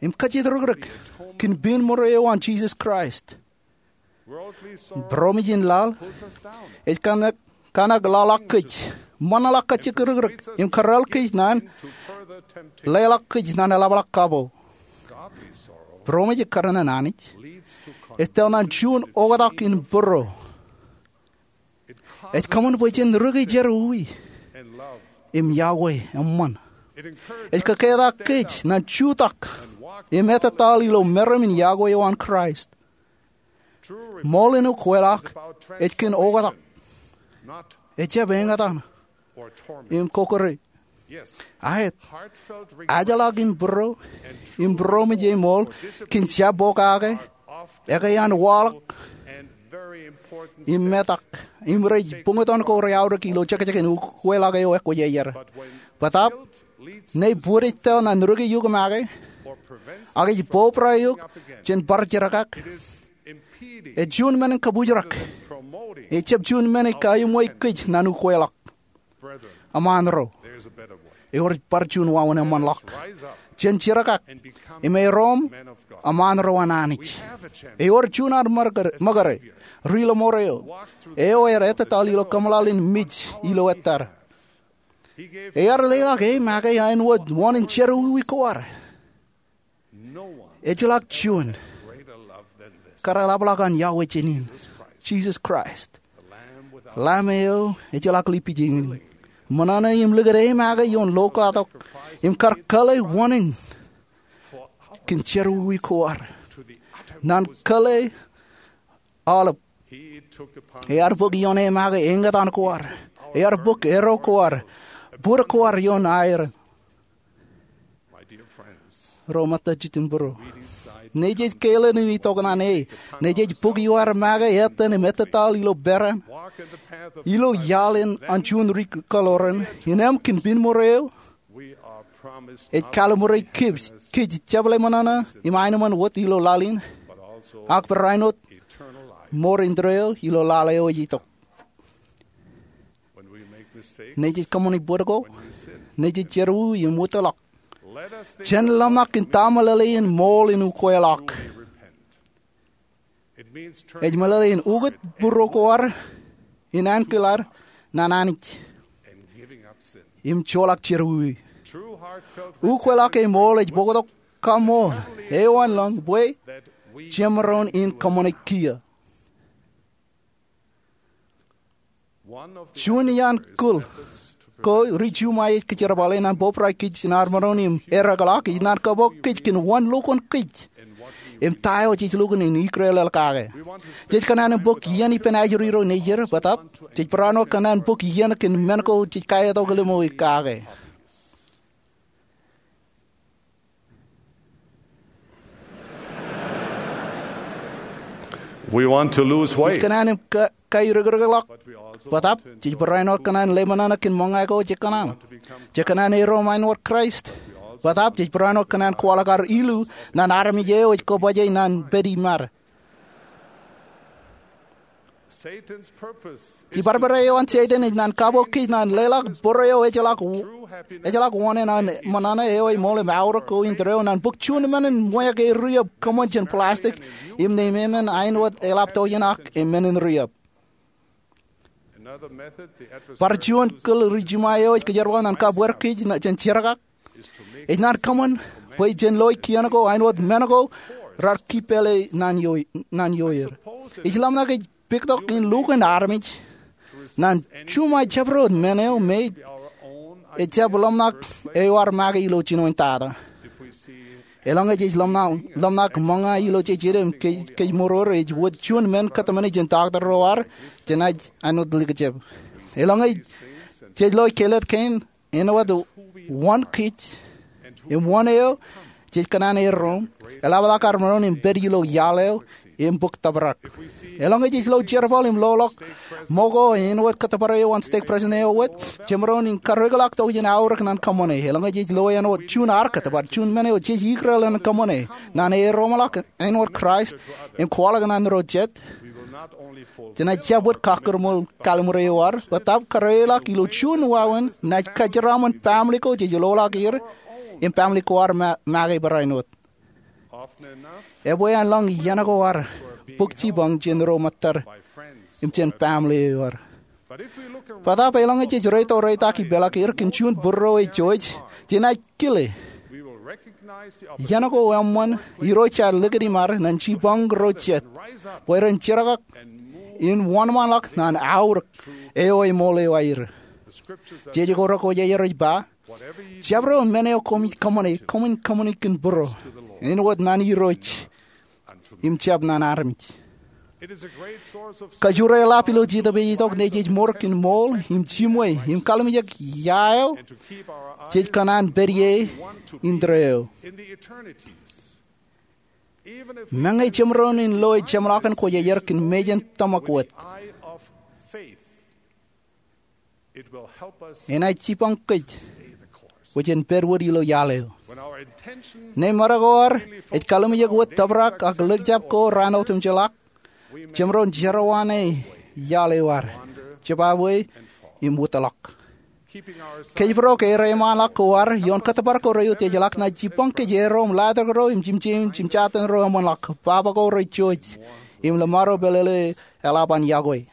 im kajjitōk rikrik kōn pein ṃōro eo an Jisōs Kraist. Būroṃōj in laḷ ej kōṇak leḷọk kōj, ṃōṇōḷọk kajjitōk rikrik, im kōrā kōj ñan leḷọk kōj ñan eḷapḷọk kapo. Būroṃōj ekar ñan Anij ej tōl ñan juon oktak in būro. Ej kōṃṃan bwe jen rūkaki jerọwiwi im iọkwe eṃṃan. Ej kōketak kōj ñan jutak im ettōtaḷ ilo meram in iọkwe eo an Kraist. Ṃool in ukweḷọk ej kōn oktak, ejjab eñtaan im kōkōrā. Aet, ajḷọk in būro im būroṃōj eṃool kōn jabokake, ekwe an waḷọk, im metak, im rej buñtōn ko reaorōk ilo jekjekin ukweḷọk eo ekwōjarjar. Bōtaab, ñe bōd ej tōl ñan rūkaki eok make, ak ej bōbrae eok jān bar jerkak, ej juon men in kabūjrak. Ejjab juon men in kaiṃwe kōj ñan ukweḷọk. Eṃṃaan ro, ewōr bar juon wāween eṃṃanḷọk. Jen jerkak im erom eṃṃaan ro an Anij. Ewōr juon ad ṃōkare, ri-lọmọọr eo, eo ear ettōtaḷ ilo kōmeḷeḷein mej ilo ettad. Ear leḷọk e make āinwōt wōn in jerọwiwi ko ad. Ejjeḷọk juon kar eḷapḷọk an Yahweh jān in, Jisōs Kraist, Lamb eo ejjeḷọk lippij in, ṃōṇōṇō im likūt e make ioon lo katok im kar kōḷḷe wōn in kōn jerọwiwi ko ad ñan kōḷḷe aolep. Ear bōk ioon e make eñtaan ko ad. Ear bōk erro ko ad, bōd ko ad ioon aer. Ro ṃōttan jitōnbōro, ñe jej kāālōt im itok ñan e, ñe jej bōk iowaer make etan im ettōtaḷ ilo peran, ilo iaḷ in an juon ri kōḷoran, innām kōn pein ṃōro eo, ej kalimjek kōj, kōj jepḷe ṃōṇōṇō im aenōṃṃan wōt ilo laḷ in, ak barāinwōt mour indeeo ilo laḷ eo ej itok. Ñe jej kōṃṃani bōd ko, ñe jej jerọwiwi im wūtḷọk, jen ḷōmṇak in ta meḷeḷe in ṃool in ukweḷọk. Ej meḷeḷe in ukōt būro ko ad in ankilaad ñan Anij im joḷọk jerọwiwi. Ukweḷọk eṃool ej bōktok kaṃool eo an lōñ bwe jemaroñ in kōṃṃane kiiō. Juon iaan kōl ko ri-Ju ṃae ej kōjerbale ñan bōbrae kōj in armej in ereakḷọk ej ñan kabuñ kōj kōn wōn lukkuun kōj im ta eo jej lukkuun in ikōrā ḷọk kake. Jej kōṇaan in bōk iien ippān ajri ro nejid, bōtaab jej barāinwōt kōṇaan bōk iien kōn men ko jej kaetok ilo mour kake. We want to lose weight. Jej kōṇaan in ka-, kairikrikḷọk, bōtaab jej barāinwōt kōṇaan in leṃōṇōṇō kōn ṃōñā ko jej kōṇaan. Jej kōṇaan in erom āinwōt Kraist, bōtaab jej barāinwōt kōṇaan in kwaḷọk ad ilu ñan armej eo ej kōbōjjān ñan pād iṃad. Jibarbare eo an Setan ej naan kabbokwe kōj naan leḷọk bōro eo ejjeḷọk, ejjeḷọk wōṇāān ṃōṇōṇō eo emool im aorōk ko in tōre eo naan bōk juon men in ṃweo ke riab kōṃṃan jān plastic im ne memen āinwōt eḷap to iien ak im men in riab. Bar juon kōl ri jiṃa eo ej kōjerbal naan kabweer kōj jān jerkak ej naan kōṃṃan bwe jen loi kien ko āinwōt men ko rar kippeḷe naan ioer. Ij ḷōmṇak ej pektok in lukkuun armej naan juṃae jabdewōt men eo me ejjab ḷōmṇak eo ar make ilo jinoin tata. Eḷaññe jej ḷōmṇak ṃōñā ilo jeje im kōjmour eo ej wōt juon men kōtmāne jān doctor ro ad, jenaaj āinwōt likjab. Eḷaññe jej loi kellet kein āinwōt wōn kōj im wōn eo jej kōṇaan erro im, eḷapḷọk ad maroñ in pād ilo iaḷ eo im bōk tōprak. Eḷaññe jej lo jerbal im loḷọk ṃōko āinwōt kōttōpar eo an stek president eo wōt, jemaroñ in karreoḷọk tok jān aorōk naan kōṃṃane. Eḷaññe jej lo āinwōt juon ad kōttōpar, juon men eo jej ikōrā ḷọk naan kōṃṃane, naan erro ṃōḷọk āinwōt Kraist im kwaḷọk naan ro jet, jenaaj jab wōt kakkōrmool kalliṃur eo ad, bōtab karreoḷọk ilo juon wāween naaj kōjeraaṃṃan baaṃle ko jej loḷọk er im baaṃle ko ad make barāinwōt. Ebwe an ḷọk iien ko ad bōk jipañ jān ro ṃōttad im jān baaṃle eo ad. Bōtab eḷaññe jej reitōreitōk ipeḷḷọk er kōn juon būruo eo jej, jenaaj kile iien ko eṃṃan Irooj ear likūt iṃaad naan jipañ ro jet bwe ren jerkak im wōnṃaanḷọk naan aorōk eo emool eo aer. Jej ko rekwōjarjar ej ba, jabdewōt men eo koṃij kōṃṃane, koṃwin kōṃṃani kōn būruo, āinwōt naan Irooj im jab naan armej. Kajoor eḷap ilo Jetōb ej itok naaj ej mour kōn ṃool im jiṃwe im kallimjek ia eo jej kōṇaan pād ie in tōre eo. Meñe jemaroñ in loe jeṃḷọkin kwōjarjar kōn mejān tōmak wōt, enaaj jipañ kōj bwe jen pād wōt ilo iaḷ eo. Ñe ṃōṇōṇō ko ad ej kallimjek wōt tōprak ak likjab ko raan otemjeḷọk, jemaroñ jerọwiwi iaḷ eo ad, jebwābwe im wūtḷọk. Kōjparok erreo eṃṃanḷọk ko ad ioon kōttōpar ko reiutiejḷọk naaj jipañ kōj erro im ḷadik ro im jimjein jimjatin ro eṃṃanḷọk, baba ko rej jouj im ḷōṃaro pālele eḷap an yokwe.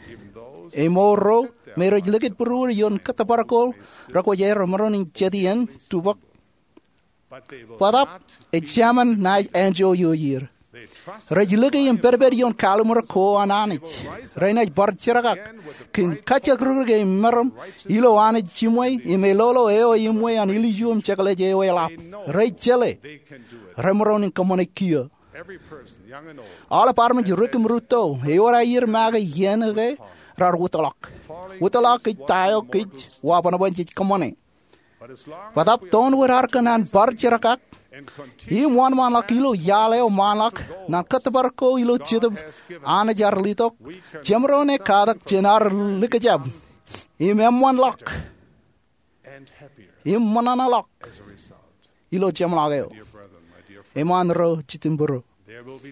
Emour ro me rej likūt būruod ioon kōttōpar ko rekwōjarjar, maroñ in jet iien, tubōk. Bōtab ejāmin naaj enjoy ioer. Rej lōke im pedped ioon kalliṃur ko an Anij. Renaaj bar jerkak kōn kajekdikdik im meram ilo Anij jiṃwe im eḷoḷo eo eṃṃan an ilju im jekḷaj eo eḷap. Rej jeḷā remaroñ in kōṃṃane kiiō. Aolep armej rik im rūtto, ewōr aer make iien ke raar wūtḷọk. Wūtḷọk ej ta eo kōj wabōnbōn jej kōṃṃane. Bōtab toon wōt ad kōṇaan bar jerkak im wōnṃaanḷọk ilo iaḷ eo ṃaanḷọk naan kōttōpar ko ilo Jetōb Anij ear letok, jemaroñ in katak jān ad likjab im eṃṃanḷọk im ṃōṇōṇōḷọk ilo jeṃḷọk eo. Eṃṃaan ro jitūṃburu,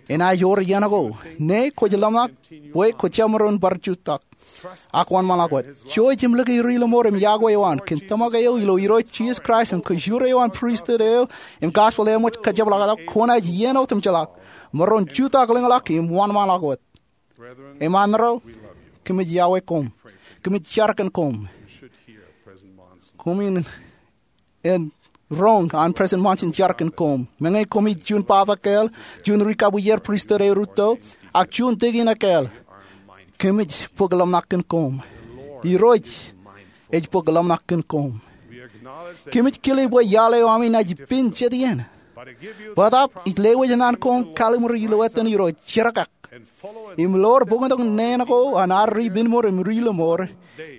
enaaj wōr iien ko ñe kwōj ḷōmṇak bwe kwōj jemaroñ bar jutak ak wōnṃaanḷọk wōt. Jouj im lōke ri lọmọọr im yokwe eo an kōn tōmak eo ilo Irooj Jisōs Kraist im kajoor eo an pristut eo im gospel eo eṃōj kajepḷaaktok, kwōnaaj iien otemjeḷọk maroñ jutak lōñḷọk im wōnṃaanḷọk wōt. Eṃṃaan ro, kōmij iọkwe koṃ. Kōmij jar kōn koṃ. Koṃwin en roñ an President Monson jar kōn koṃ. Meñe koṃij juon baba ekāāl, juon ri kabwijer pristut eo rūtto, ak juon deacon ekāāl, kōmij bōk ḷōmṇak kōn koṃ. Irooj ej bōk ḷōmṇak kōn koṃ. Kōmij kile bwe iaḷ eo ami naaj pen jet iien. Bōtab ij lewōj naan koṃ kalliṃur ilo etan Irooj, jerkak im ḷoor bōktok neen ko an ad ri pinmour im ri lọmọọr,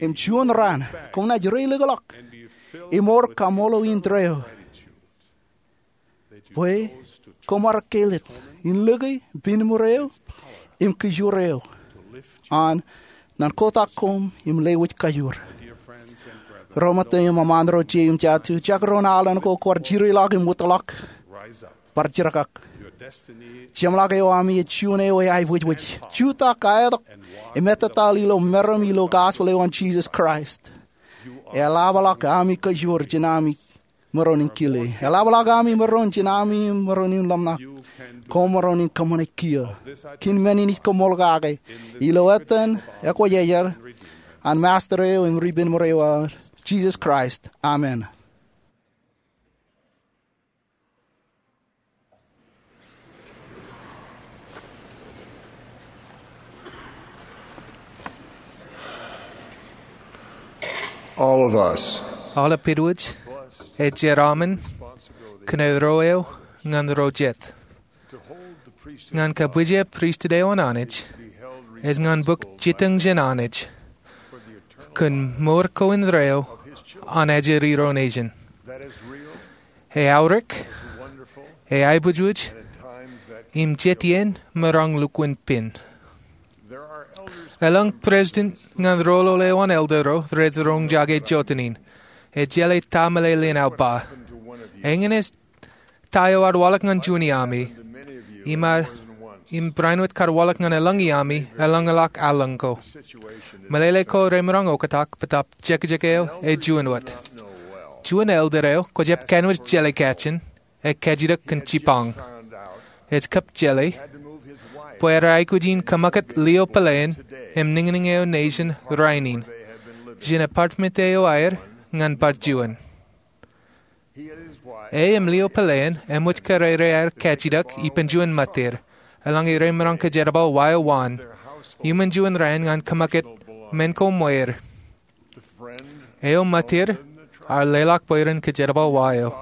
im juon raan koṃ naaj reilikḷọk im mour kaṃṃoolol in tōre eo bwe koṃ ar kellet in lōke pinmour eo im kajoor eo an naan kotak koṃ im lewōj kajoor. Ro ṃōttan im eṃṃaan ro je im jatū, jekdọọn alen ko kwaar jireḷọk im wūtḷọk, bar jerkak. Jeṃḷọk eo ami ej juon eo eaibwijwij. Jutak ak etok im ettōt ilo meram ilo gospel eo an Jesus Christ. Eḷapḷọk ami kōjwōr jān ami maroñ in kile. Eḷapḷọk ami maroñ jān ami maroñ in ḷōmṇak. Koṃ maroñ in kōṃṃane kiiō. Kōn men in ij koṃṃool kake ilo etan Ekwōjarjar an Master eo im Ribbon Mour eo, Jesus Christ. Amen. All of us. Aolep āinwōt ej jeraaṃṃan kōn ro eo ñan ro jet. Ñan kabwije pristut eo an Anij, ej ñan bōk jitōñ jān Anij kōn mour ko indeeo an ajri ro nejin. Eaorōk, eaibwijwij, im jet iien maroñ lukkuun pen. Eḷap president ñan roñoul eo an elder ro rej roñjake jotenin. Ejjeḷọk ta meḷeḷein aō ba. Eñin ej ta eo ear waḷọk ñan juon iami, im barāinwōt kar waḷọk ñan elōñ iami elōñḷọk allōñ ko. Meḷeḷe ko remaroñ oktak, bōtaab jekjek eo ej juon wōt. Juon elder eo kwōjab kanooj jeḷā kajin, ej kajjitōk kōn jipañ. Ej kab jeḷā bwe ear aikuj in kōṃakūt lio peleen im niñniñ eo nejin rainin jān apartment eo aer ñan bar juon. E im lio peleen eṃōj kōrā aer kajjitōk ippān juon ṃōttir, eḷaññe remaroñ kōjerbal wa eo waan, iuṃwin juon raan ñan kōṃakūt men ko ṃweer. Eo ṃōttir ear leḷọk bwe ren kōjerbal wa eo.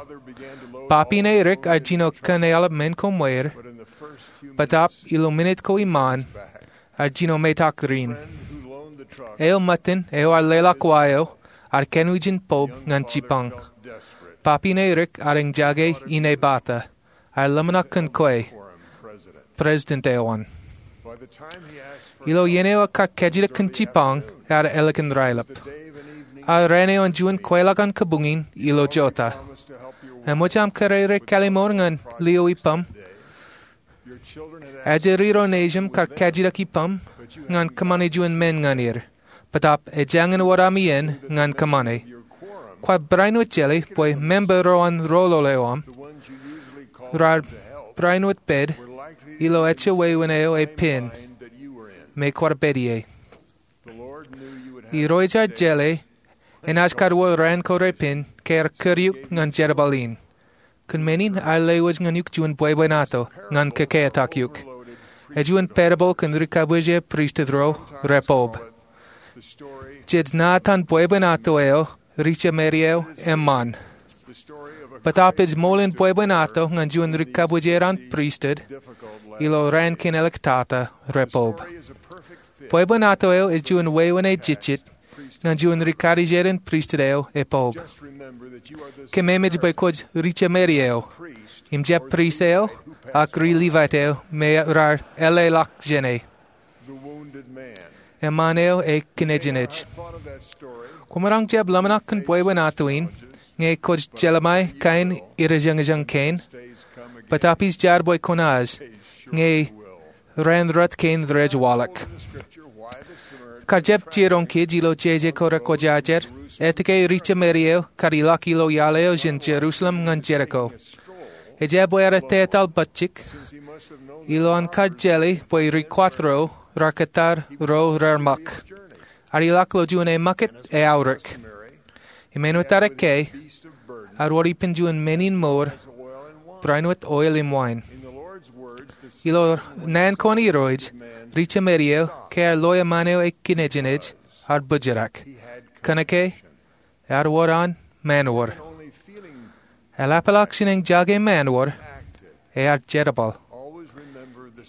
Papi ṇe rik ear jino kōn eḷap men ko ṃweer, bōtaab ilo minit ko iṃaan ear jino metak rin. Eo ṃōttan eo ear leḷọk wa eo ear kanooj in bulb ñan jipañ. Papi ṇe rik ear eñjake inepata. Ear ḷōmṇak kōn kwe, president eo an. Ilo iien eo ekar kajjitōk kōn jipañ, ear ālikin raelep. Ear raan eo an juon kweilọk an kabuñ in ilo jota. Eṃōj aṃ kōrā kalliṃur ñan lio ippaṃ? Ajri ro nejin kar kajjitōk ippaṃ ñan kōṃṃane juon men ñan er. Bōtaab ejāñin wōt ami en ñan kōṃṃane. Kwaar barāinwōt jeḷā bwe member ro an roñoul eo aṃ raar barāinwōt pād ilo ejja wāween eo epen me kwaar pād ie. Irooj ear jeḷā enaaj kar wōr raan ko repen ke ear kūr eok ñan jerbal in. Kōn men in ear lewōj ñan eok juon bwebwenato ñan kōkeatak eok. Ej juon parable kōn ri-kabwije pristut ro rej bulb. Jej ṇa etan bwebwenato eo, ri-jemāri eo eṃṃan. Bōtaab ej ṃool in bwebwenato ñan juon ri-kabwijer an pristut ilo raan kein āliktata rej bulb. Bwebwenato eo ej juon wāween ejejjet ñan juon ri-karijer in pristut eo ej bulb. Kōmāmej bwe kwōj ri-jemāri eo, im jab prist eo, ak ri-Levite eo me raar eḷḷāḷọk jāne. Eṃṃan eo ej kinejnej. Kwōmaroñ jab ḷōmṇak kōn bwebwenato in ñe kwōj jelṃae kain irejañjañ kein? Bōtaab ij jar bwe kwōnaaj, ñe raan rot kein rej waḷọk. Kar jab jiroñ kōj ilo jeje ko rekwōjarjar etke ri-jemāri eo kar ilọk ilo iaḷ eo jān Jerusalem ñan Jeriko. Ejab bwe ear etetal bajjek, ilo an kar jeḷā bwe ri-kwath ro raar kōttar ro rear ṃōk. Ear ilọk ilo juon eṃōkūt eaorōk. Im āinwōt ear ekkā, ear wōr ippān juon men in mour, barāinwōt oil im wain. Ilo naan ko an Irooj, ri-jemāri eo, ke ear loe eṃṃan eo ej kinejnej, ear bōjrak. Kōnke ear wōr an manoor. Eḷapḷọk jān eñjake manoor, ear jerbal.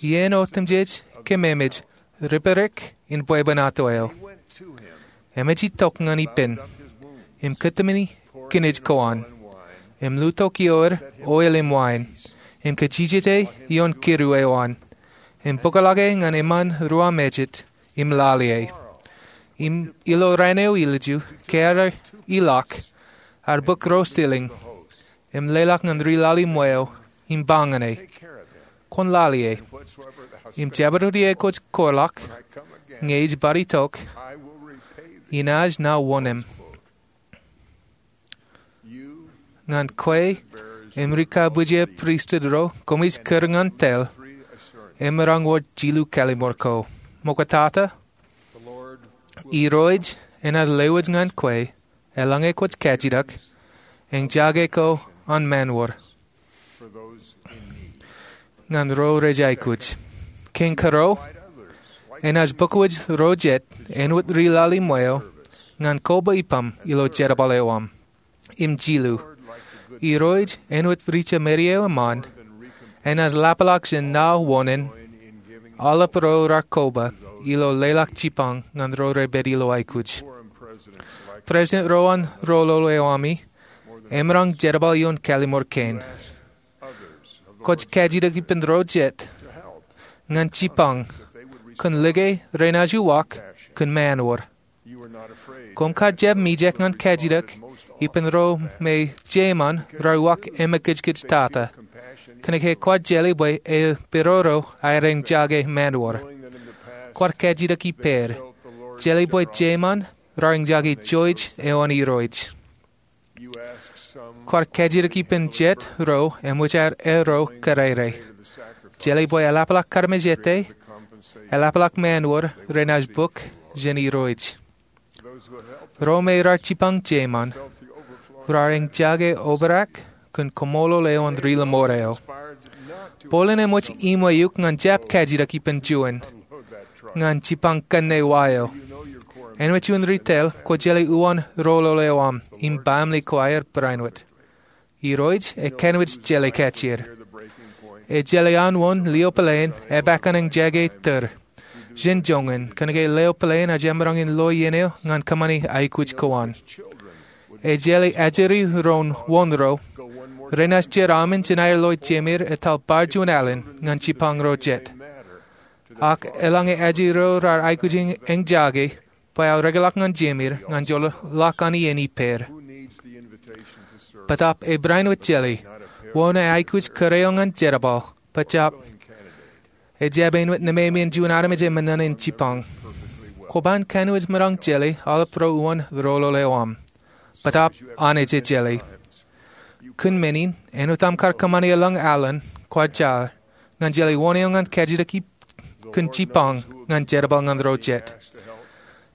Iien otemjej kōmāmej ripārik in bwebwenato eo. Emōj itok ñan ippān im kōtmāne kinej ko an, im lutokioer oil im wain, im kajijete ioon kidu eo an, im bōkḷọk e ñan eṃṃan ruwamājet im lale e. Im ilo raan eo ilju, ke ear ilọk, ear bōk ro ceiling im leḷọk ñan ri-lale ṃweo im ba ñan e, kwōn lale ie. Im jabdewōt iiō kwōj kōḷọk, ñe ij bar itok, inaaj nōbar wōnōṃ. Ñan kwe im ri-kōpooje pristut ro koṃij kūr ñan tōl, emaroñ wōt jilu kallim̧ur ko. Ṃoktata, Irooj enaaj lewōj ñan kwe, eḷaññe kwōj kajitok, eñjake ko an mānwōd ñan ro rej aikuj. Kein kōrā, enaaj bōkwōj ro jet āinwōt ri-lale ṃweo ñan koba ippaṃ ilo jerbal eo aṃ. Im jilu, Irooj āinwōt ri-jemān eo eṃṃan, enaaj lapḷọk jān nōbar wōnōṃ aolep ro raar koba ilo leḷọk jipañ ñan ro rej pād ilo aikuj. President ro an rōlōl eo ami emaroñ jerbal ioon kallim̧ur kein. Kwōj kajitok ippān ro jet ñan jipañ kōn like renaaj uwaak kōn mānwōd. Koṃ kar jab mijak ñan kajitok ippān ro me jeṃaan raar uwaak emekūtkūt tata, kōnke kwaar jeḷā bwe epidodo aer eñjake mānwōd. Kwaar kajitok ippād. Jeḷā bwe jeṃaan raar eñjake jouj eo an Irooj. Kwaar kajitok ippān jet ro eṃōj aer erro kōrā. Jeḷā bwe eḷapḷọk karmejāte, eḷapḷọk mānwōd renaaj bōk jān Irooj. Ro me raar jipañ jeṃaan raar eñjake obrak kōn kaṃṃoolol eo an ri-lọmọọr eo. Bōlen eṃōj iṃwe eok ñan jab kajitok ippān juon ñan jipañ kanne wa eo. Āinwōt juon ri-tōl, kwō jeḷā uwaan rōlōl eo aṃ im baaṃle ko aer barāinwōt. Irooj ekanooj jeḷā kajjier. Ejeḷā an wōn lio peleen epaak an eñjake tōr jān joñan, kōnke lio peleen ej jab maroñ in lo iien eo ñan kōṃṃane aikuj ko an. Ejeḷā ajri ro wōn ro renaaj jeraaṃṃan jān aer lo jemāer etal bar juon alen ñan jipañ ro jet. Ak eḷaññe ajri ro raar aikuj eñjake, bwe aō rekḷọk ñan jemāer ñan joḷọk an iien ippād. Bōtaab ebarāinwōt jeḷā wōn eaikuj kōrā eo ñan jerbal, bōtaab ejab āinwōt nemāmein juon armej eṃṃan in jipañ. Kwō ban kanooj maroñ jeḷā aolep ro uwaan rōlōl eo aṃ. Bōtaab Anij ej jeḷā. Kōn men in, āinwōt aṃ kar kōṃṃane eḷaññe alen, kwaar jar ñan jeḷā wōn eo ñan kajitok kōn jipañ ñan jerbal ñan ro jet.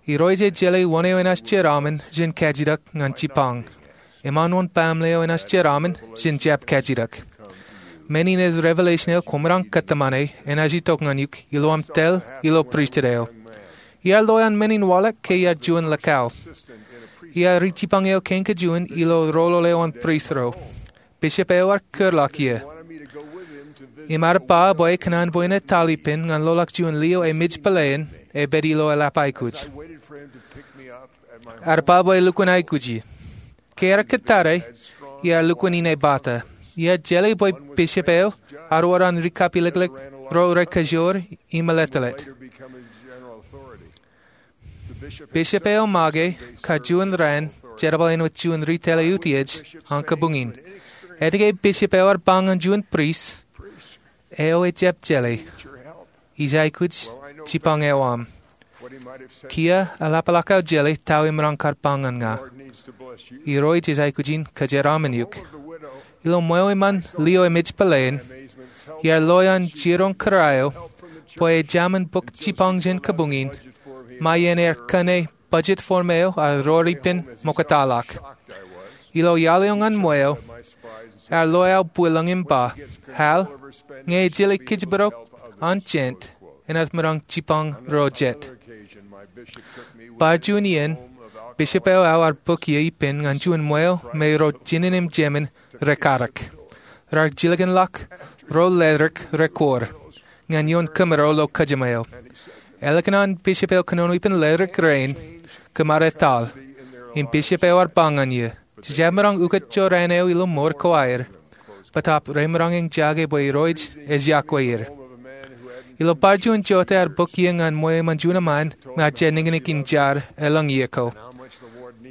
Irooj ej jeḷā wōn eo enaaj jeraaṃṃan jān kajitok ñan jipañ. Im an wōn baaṃle eo enaaj jeraaṃṃan jān jab kajitok. Men in ej revelation eo kwōmaroñ kōtmāne enaaj itok ñan eok ilo aṃ tōl ilo pristut eo. Iar lo an men in waḷọk ke iar juon likao. Iar ri-jipañ eo kein kajjien ilo rōlōl eo an prist ro. Bishop eo ear kūrḷọk ie im ear ba bwe ekōṇaan bwe en etal ippān ñan loḷọk juon lio emej peleen epād ilo eḷap aikuj. Ear ba bwe elukkuun aikuji. Ke ear kōttar e, iar lukkuun inepata. Iar jeḷā bwe bishop eo ear wōr an ri-kapilōklōk ro rekajoor im eletōlet. Bishop eo make kajjien raan jerbal āinwōt juon ri-tōl eutiej an kabuñ in. Etke bishop eo ear ba ñan juon prist eo ejjab jeḷā, ij aikuj jipañ eo aṃ? Kiiō eḷapḷọk aō jeḷā ta eo emaroñ kar ba ñan ña. Irooj ej aikuj in kōjeraaṃṃan eok. Ilo ṃweo eṃṃan lio emej peleen, iar lo an jiroñ kōrā eo bwe ejāmin bōk jipañ jān kabuñ in, ṃae iien ear kōṇe budget form eo ear roor ippān ṃoktaḷọk. Ilo iaḷ eo ñan ṃweo, ear lo aō bwilōñ im ba, Hal, ñe ej jeḷā kōjparok an jān, enaaj maroñ jipañ ro jet. Bar juon iien, bishop eo aō ear bōk ie ippān ñan juon ṃweo me ro jinen im jemān rekadek. Raar jilkinḷọk ro ledik rekwōr ñan ioon kōmro ilo kōjām eo. Ālikin an bishop eo kōnono ippān ledik rein, kōmro etal. Im bishop eo ear ba ñan ie, Jej jab maroñ ukōt jorrāān eo ilo mour ko aer. Bōtaab remaroñ eñjake bwe Irooj ej yokwe er. Ilo bar juon jota ear bōk ie ñan ṃweo eṃṃan juon eṃṃaan me ear jab niknik in jar elōñ ie ko.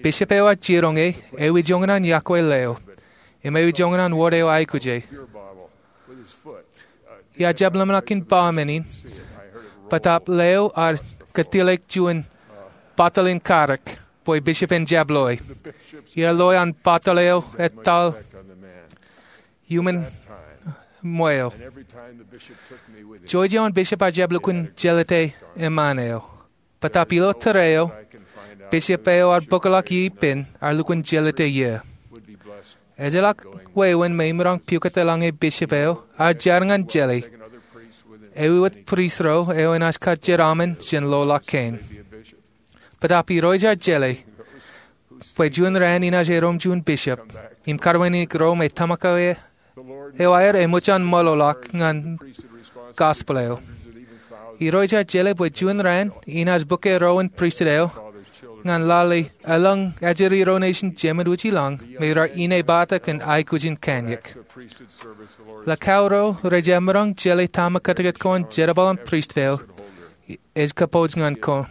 Bishop eo ear jiroñ e, ewi joñan an yokwe leo, im ewi joñan an wōt eo aikuj e. Iar jab ḷōmṇak in ba men in, bōtaab ḷeo ear kōtilōk juon bottle in karōk bwe bishop en jab loe. Iar loe an bottle eo etal iuṃwin ṃweo. Jouj eo an bishop ear jab lukkuun jelōte eṃṃaan eo. Bōtaab ilo tōre eo, bishop eo ear bōkḷọk ie ippān ear lukkuun jelōte ie. Ejjeḷọk wāween me imaroñ pukot eḷaññe bishop eo ear jar ñan jelōte, ewi wōt priest ro eo enaaj kar jeraaṃṃan jān ḷoḷọk kein. Bōtaab Irooj ear jelōte bwe juon raan inaaj erom juon bishop im karweineik ro me tōmak eo aer eṃōj an ṃōḷoḷọk ñan gospel eo. Irooj ear jelōte bwe juon raan inaaj bōk erom in pristut eo ñan lale eḷaññe ajri ro nejin Jemedwōj ilañ me raar inepata kōn aikuj in kanniōk. Lakao ro rej jab maroñ jelōte tōmak kōtkōt ko an jerbal an pristut eo ej kōpooj ñan koṃ.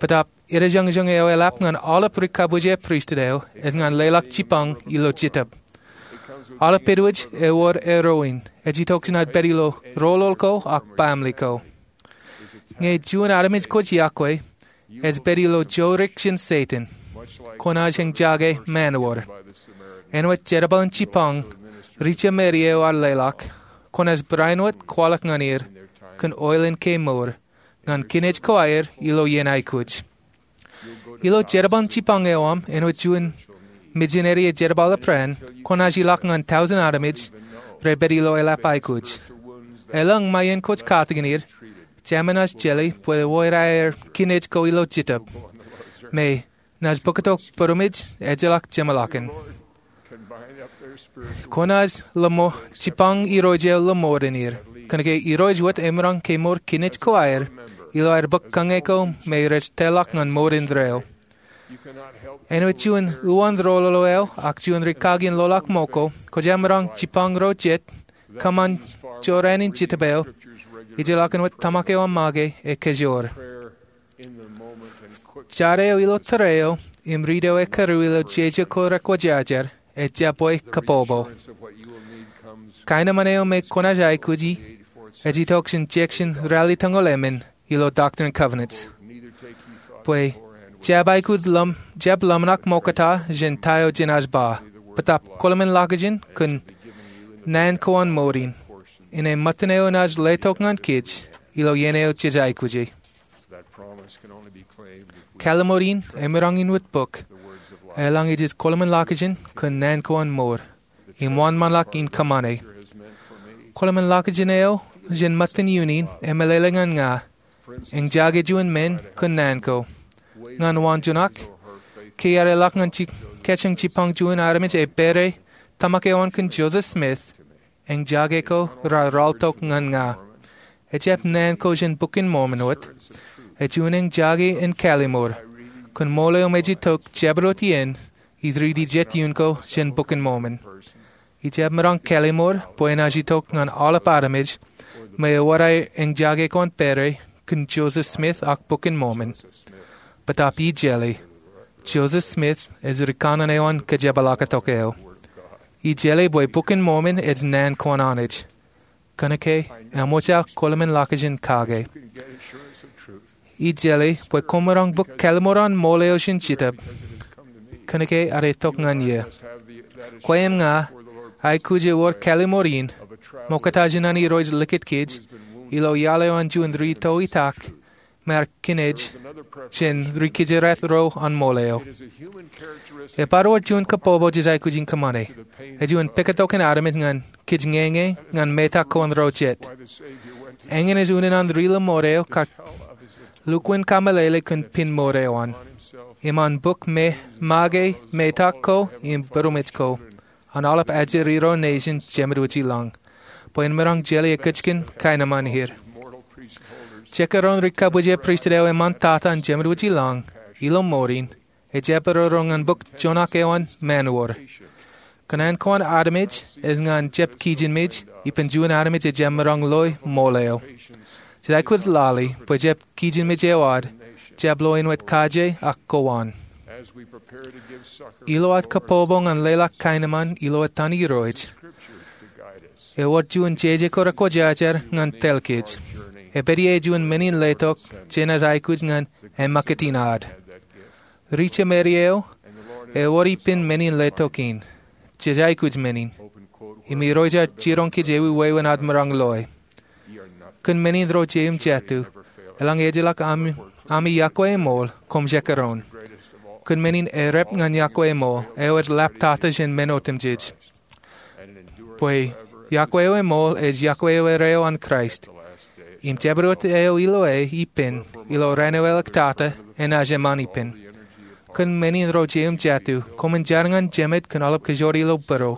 Bōtaab edejañjañ eo eḷap ñan aolep ri kabwije pristut eo ej ñan leḷọk jipañ ilo Jetōb. Aolep āinwōt ewōr erom in ej itok jān ad pād ilo roḷoḷ ko ak baaṃle ko. Ñe juon armej kwōj iọkwe ej pād ilo joorōk jān Setan, kwōnaaj eñjake mānwōd. Āinwōt jerbal in jipañ ri Jemeria eo ear leḷọk, kwōnaaj barāinwōt kwaḷọk ñan er kōn oil in kemour ñan kinej ko aer ilo iien aikuj. Ilo jerbal in jipañ eo aṃ āinwōt juon mijineri ej jerbal ipran, kwōnaaj ilọk ñan tọujin armej rej pād ilo eḷap aikuj. Eḷaññe ṃae iien kwōj katakin er, jemān naaj jelōte bwe ewōr aer kinej ko ilo Jetōb me naaj bōktok būroṃōj ejjeḷọk jeṃḷọkin. Kwōnaaj ḷōṃo jipañ Irooj eo ḷōṃoor in er, kōnke Irooj wōt emaroñ kemour kinej ko aer ilo aer bōk kōñā ko me rej tōrḷọk ñan mour indeeo. Āinwōt juon uwaan roḷoḷ eo ak juon rikaki in ḷoḷọk ṃōk ko, kwōj jab maroñ jipañ ro jet kōṃṃan jorrāān in Jetōb eo, ijellọkin wōt tōmak eo aṃ make ekajoor. Jar eo ilo tōre eo im riit eo ekōrā ilo jeje ko rekwōjarjar ejjab bwe kabbokbok. Kaenōṃṃan eo me kwōnaaj aikuji ej itok jān jekshin ralitōñoul emān ilo Doctrine and Covenants, bwe jab aikuj ḷōm, jab ḷōmṇak ṃokta jān ta eo jenaaj ba, bōtaab kwōḷmān ḷọkjeṇ kōn naan ko an mour in, āne ṃōttan eo enaaj letok ñan kōj ilo iien eo jej aikuji. Kalliṃur in emaroñ in wōt bōk eḷaññe jej kwōḷmān ḷọkjeṇ kōn naan ko an mour im wōnṃaanḷọk in kōṃṃane. Kwōḷmān ḷọkjeṇ eo jān ṃōttan iien in emeḷeḷe ñan ña, eñjake juon men kōn naan ko. Ñan waanjoñak, ke iar eḷak ñan ji-, kōjeañ jipañ juon armej epād tōmak eo an kōn Joseph Smith, eñjake ko raar ralitōk ñan ña. Ejjab naan ko jān Bok in Mormon wōt, ej juon eñjake in kalliṃur kōn ṃool eo me ej itok jabdewōt iien ij riiti jet iien ko jān Bok in Mormon. Ijab maroñ kalliṃur bwe enaaj itok ñan aolep armej me ewōr aer eñjake ko an pād kōn Joseph Smith ak Bok in Mormon. Bōtaab ij jeḷā, Joseph Smith ej ri kanaan eo an kōjepḷaaktok eo. Ij jeḷā bwe Bok in Mormon ej naan ko an Anij. Kōnke eṃōj aō kwōḷmān ḷọkjeṇ kake. Ij jeḷā bwe koṃ maroñ bōk kalliṃur an ṃool eo jān Jetōb, kōnke ear itok ñan eō. Kwe im ña, aikuj ewōr kalliṃur in, ṃokta jān an Irooj likūt kōj ilo iaḷ eo an juon ri toitak me ear kinej jān ri kōjeraat ro an ṃool eo. Ebar wōr juon kabbokbok jej aikuj in kōṃṃane. Ej juon pād tok in armej ñan kōj ñeñe ñan metak ko an ro jet. Eñin ej unin an ri ḷōṃoor eo kar lukkuun kameḷeḷe kōn pen mour eo an im an bōk me make metak ko im būroṃōj ko an aolep ajri ro nejin Jemedwōj ilañ, bwe en maroñ jelōt ekkejkan kaenōṃṃan er. Jekdọọn ri kabwije pristut eo eṃṃan tata an Jemedwōj ilañ ilo mour in, ejjab eroro ñan bōk joñak eo an mānwōd. Kōṇaan ko an armej ej ñan jab kijenmej ippān juon armej ejjab maroñ loe ṃool eo. Jej aikuj lale bwe jab kijenmej eo ad jab lo āinwōt kaje ak kowaan. Ilo ad kabbokbok ñan leḷọk kaenōṃṃan ilo etan Irooj, Ewōr juon jeje ko rekwōjarjar ñan tōl kōj. Epād ie juon men in letok jenaaj aikuj ñan eṃṃakūt in ad. Ri-Jemāri eo ewōr ippān men in letok in. Jej aikuj men in. Im Irooj ear jiroñ kōj ewi wāween ad maroñ loe. Kōn men in ro jeiū im jatū, eḷaññe ejjeḷọk ami, ami yokwe eṃool, koṃ jekdọọn. Kōn men in errep ñan yokwe eṃool, eo ej lap tata jān men otemjej. Bwe yokwe eo eṃool ej yokwe eo erreo an Kraist. Im jabdewōt eo ilo e ippān, ilo raan eo eḷak tata, enaaj eṃṃan ippān. Kōn men in ro jeiū im jatū, koṃwin jar ñan Jemed kōn aolep kōjro ilo būruō.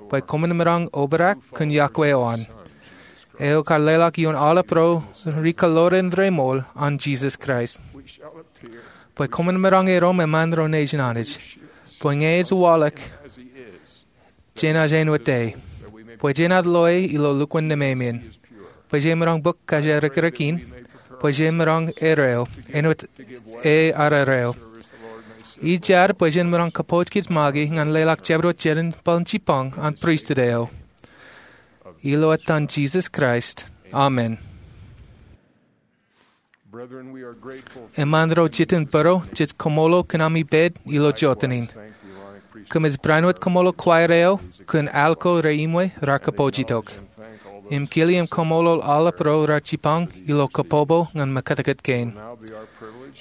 Bwe koṃwin maroñ obrak kōn yokwe eo an. Eo kar leḷọk ioon aolep ro ri-kōḷoran remool an Jisōs Kraist. Bwe koṃwin maroñ erom eṃṃan ro nejin Anij. Bwe ñe ej waḷọk, jenaaj āinwōt e. Bwe jenaaj loe ilo lukkuun nemāmien. Bwe jemaroñ bōk kōjatdikdik in. Bwe jemaroñ erreo, āinwōt e ear erreo. Ij jar bwe jen maroñ kōpooj kōj make ñan leḷọk jabdewōt jerbal in jipañ an pristut eo. Ilo etan Jisōs Kraist. Amen. Eṃṃan ro jitōnbōro, jej kaṃṃoolol kōn ami pād ilo jota in. Kōmij barāinwōt kaṃṃoolol choir eo kōn al ko reimwe raar kōpooj itok. Im kile im kaṃṃoolol aolep ro raar jipañ ilo kabbokbok ñan mekātkāt kein.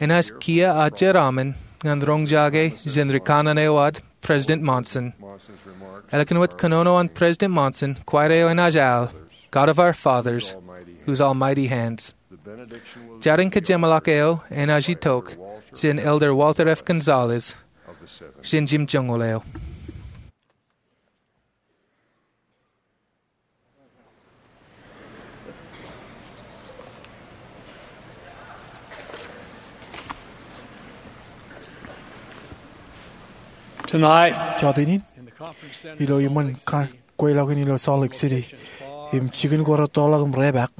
Enaaj kiiō aō jeraaṃṃan ñan roñjake jān ri kanaan eo ad, President Monson. Ālikin wōt kōnono an President Monson, choir eo enaaj al, God of our fathers, whose almighty hands. Jar in kajeṃḷọk eo enaaj itok jān Elder Walter F. Gonzalez, jān jimjuonñoul eo. Tonight, jota in, in the conference center ilo iṃōn kweilọk in ilo Salt Lake City, im jikin ko rūttoḷọk im repaak,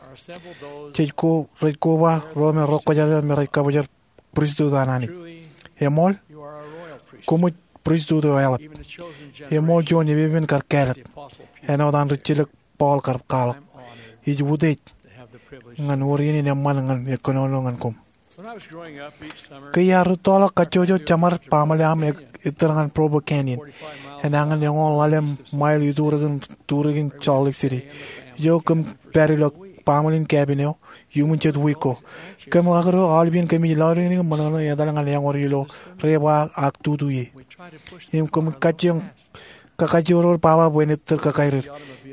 jej ko, rej koba ro me rekwōjarjar me rej kabōjrak pristut an Anij. Eṃool, koṃij pristut eo eḷap. Eṃool juon epepen kar kāālōt. Āinwōt an rijjelōk Paul kar kwaḷọk. Ij utiej ñan wōr iien in eṃṃan ñan kōnono ñan koṃ. Ke iar rūttoḷọk kajjojo, jeṃaad baaṃle aṃ ettōr ñan Provo Canyon, enañin eñoul ḷalem mile iturikin, turikin Salt Lake City. Ijo kōm pād ilo baaṃle in cabin eo iuṃwin jet wiik ko. Kōm ḷak ilo aolep iien kōmij lọriñiñ im ṃōṇōṇō etal ñan eñor ilo reba ak tutu ie. Im kōm kajjioñ kakajjioñ baba bwe en ettōr kakairir.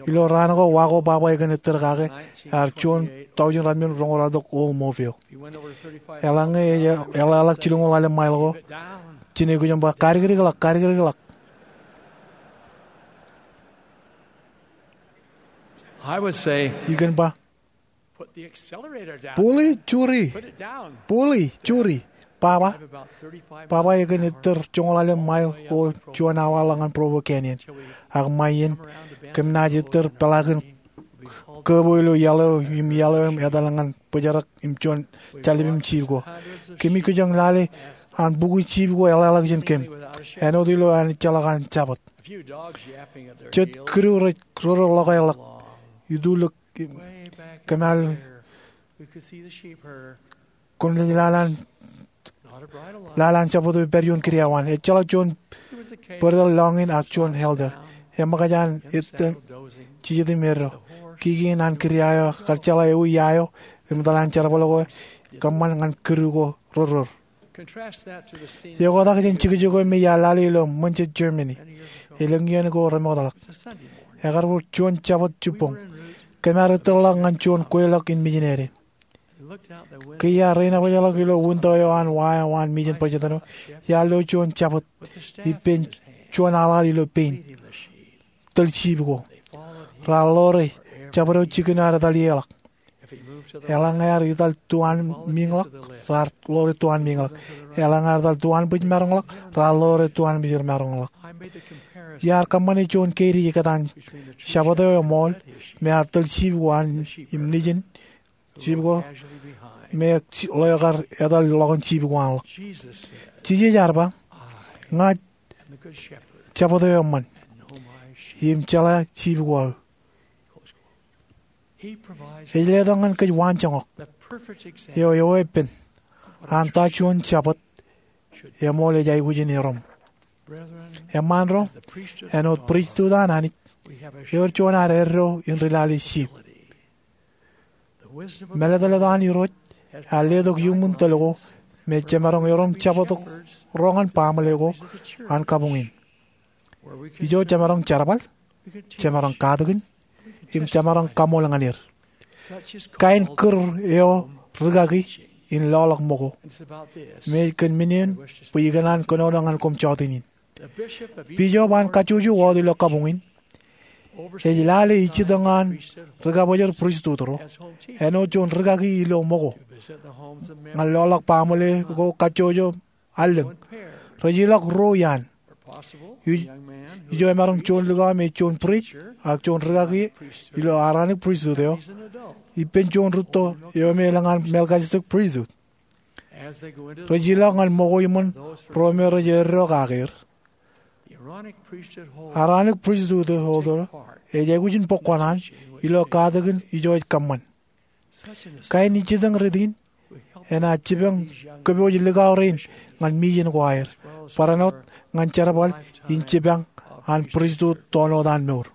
Ilo raan ko, wa ko baba ekōn ettōr kake, ear juon taujin ratimjuon roñoul ratimjuon Oldsmobile. Eḷaññe ej eḷḷāḷọk jilñoul ḷalem mile ko, jen aikuj im ba, "Kadikdikḷọk, kadikdikḷọk." I kōn ba, "Puli, juri. Puli, juri. Baba, baba ekōn ettōr joñoul ḷalem mile ko juon awa ḷọk ñan Provo Canyon." Ak ṃae iien, kōm naaj ettōr peḷaakin kōbo ilo iaḷ eo im iaḷ eo im etal ñan bōjrak im juon jaḷḷap im jip ko. Kōmij kōjjeḷā lale an bukwi jip ko eḷḷāḷọk jān kōm. Āinwōt ilo an ejjeḷọk an Jabōt. Jet kidu rej rōrō ḷọk ḷọk. Itulōk kōm al kwōn lale an, lale an Jabōt eo ej pād ioon kidiawan. Ejjeḷọk juon bōrtōl lọñiin ak juon elder. Eṃōkaj an ettōr jijet im eddo. Kiki in an kidia eo kar jeḷā ewi ia eo im etal an jerbal ko kōṃṃan ñan kidu ko rōrrōr. Eoktak jān jekjek eo me iar lale ilo München, Germany, elōñ iien ko remootḷọk. Ekar wōr juon Jabōt jibboñ. Kōm ar ettōrḷọk ñan juon kweilọk in mijinede. Ke iar rein ḷapḷọk ilo winto eo an wa eo an mijin bajjatōn eo, iar lo juon Jabōt ippān juon aḷaḷ ilo pein, tōl jip ko. Raar ḷoore, Jabōt eo jikin ear etal ieḷọk. Eḷaññe ear etal tuanmiiñḷọk, raar ḷoore tuanmiiñḷọk. Eḷaññe ear etal tuanbwijmaroñḷọk, raar ḷoore tuanbwijmaroñḷọk. Iar kōṃṃane juon keidi ikōtaan Jabōt eo eṃool me ear tōl jip ko an im nejin jip ko me ḷeo kar etal ḷọk in jip ko an ḷọk. Jisōs ear ba, "Ña Jabōt eo eṃṃan, im jeḷā jip ko aō. Ej letok ñan kōj waanjoñak eo eweeppān an ta juon jabōt eṃool ej aikuj in erom. Eṃṃaan ro, āinwōt pristut an Anij, ewōr juon ad eddo in ri lale sheep. Mālōtlōt an Irooj ear letok iuṃwin tōl ko me jemaroñ erom jabōt ro ñan baaṃle ko an kabuñ in, ijo jemaroñ jerbal, jemaroñ katakin, im jemaroñ kaṃool ñan er. Kain kūr eo rūkaki in lọọlọk ṃōko, im ej kōn men eṇ bwe ikōṇaan kōnono ñan koṃ jọteen in. Bishop an kajjojo wōt ilo kabuñ in ej lale ijjitōñ an rikabōjor pristut ro āinwōt juon rūkaki ilo ṃōko ñan lọọlọk baaṃle ko kajjojo allōñ. Rej ilọk ruo iaan, ijo emaroñ juon likao me juon pris ak juon rūkaki ilo Aaronic pristut eo, ippān juon rūtto eo me elōñ an Melchizedek pristut. Rej ilọk ñan ṃōko iṃōn ro me rej eddo kake er. Aaronic pristut eo ej aikuj in bōk kuṇaan ilo katakin ijo ej kōṃṃan. Kain ijjitōñ rot in enaaj jipañ kōpooj likao rein ñan mission ko aer, barāinwōt ñan jerbal in jipañ an pristut toon wōt an mour.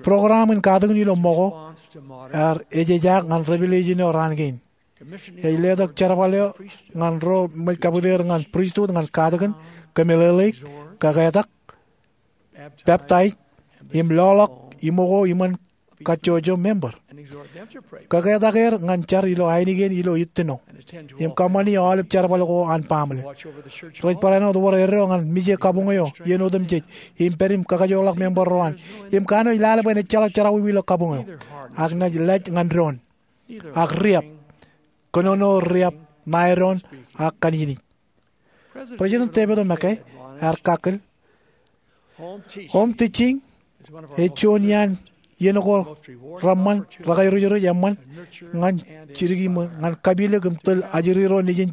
Program in katakin ilo ṃōko ear ejejaak ñan Revelation eo raan kein. Ej letok jerbal eo ñan ro rej kapit er ñan pristut ñan katakin, kōmeḷeḷeik, kaketak, peptaij, im lọọlọk iṃōko iṃōn kajjojo member. Kaketak er ñan jar ilo ainikien ilo ittino im kōṃṃani aolep jerbal ko an baaṃle. Rej barāinwōt wōr eddo ñan mije kabuñ eo iien otemjej im pād im kakajoorḷọk member ro an, im kanooj lale bwe en ejjeḷọk jerọwiwi ilo kabuñ eo, ak naaj laj ñan doon, ak riab, kōnono riab ṇae doon ak kanijnij. President David O. McKay ear kakkōl, home teaching ej juon iaan iien ko reṃṃan, rekairooj, eṃṃan ñan jidik im ñan kapilōk im tōl ajri ro nejin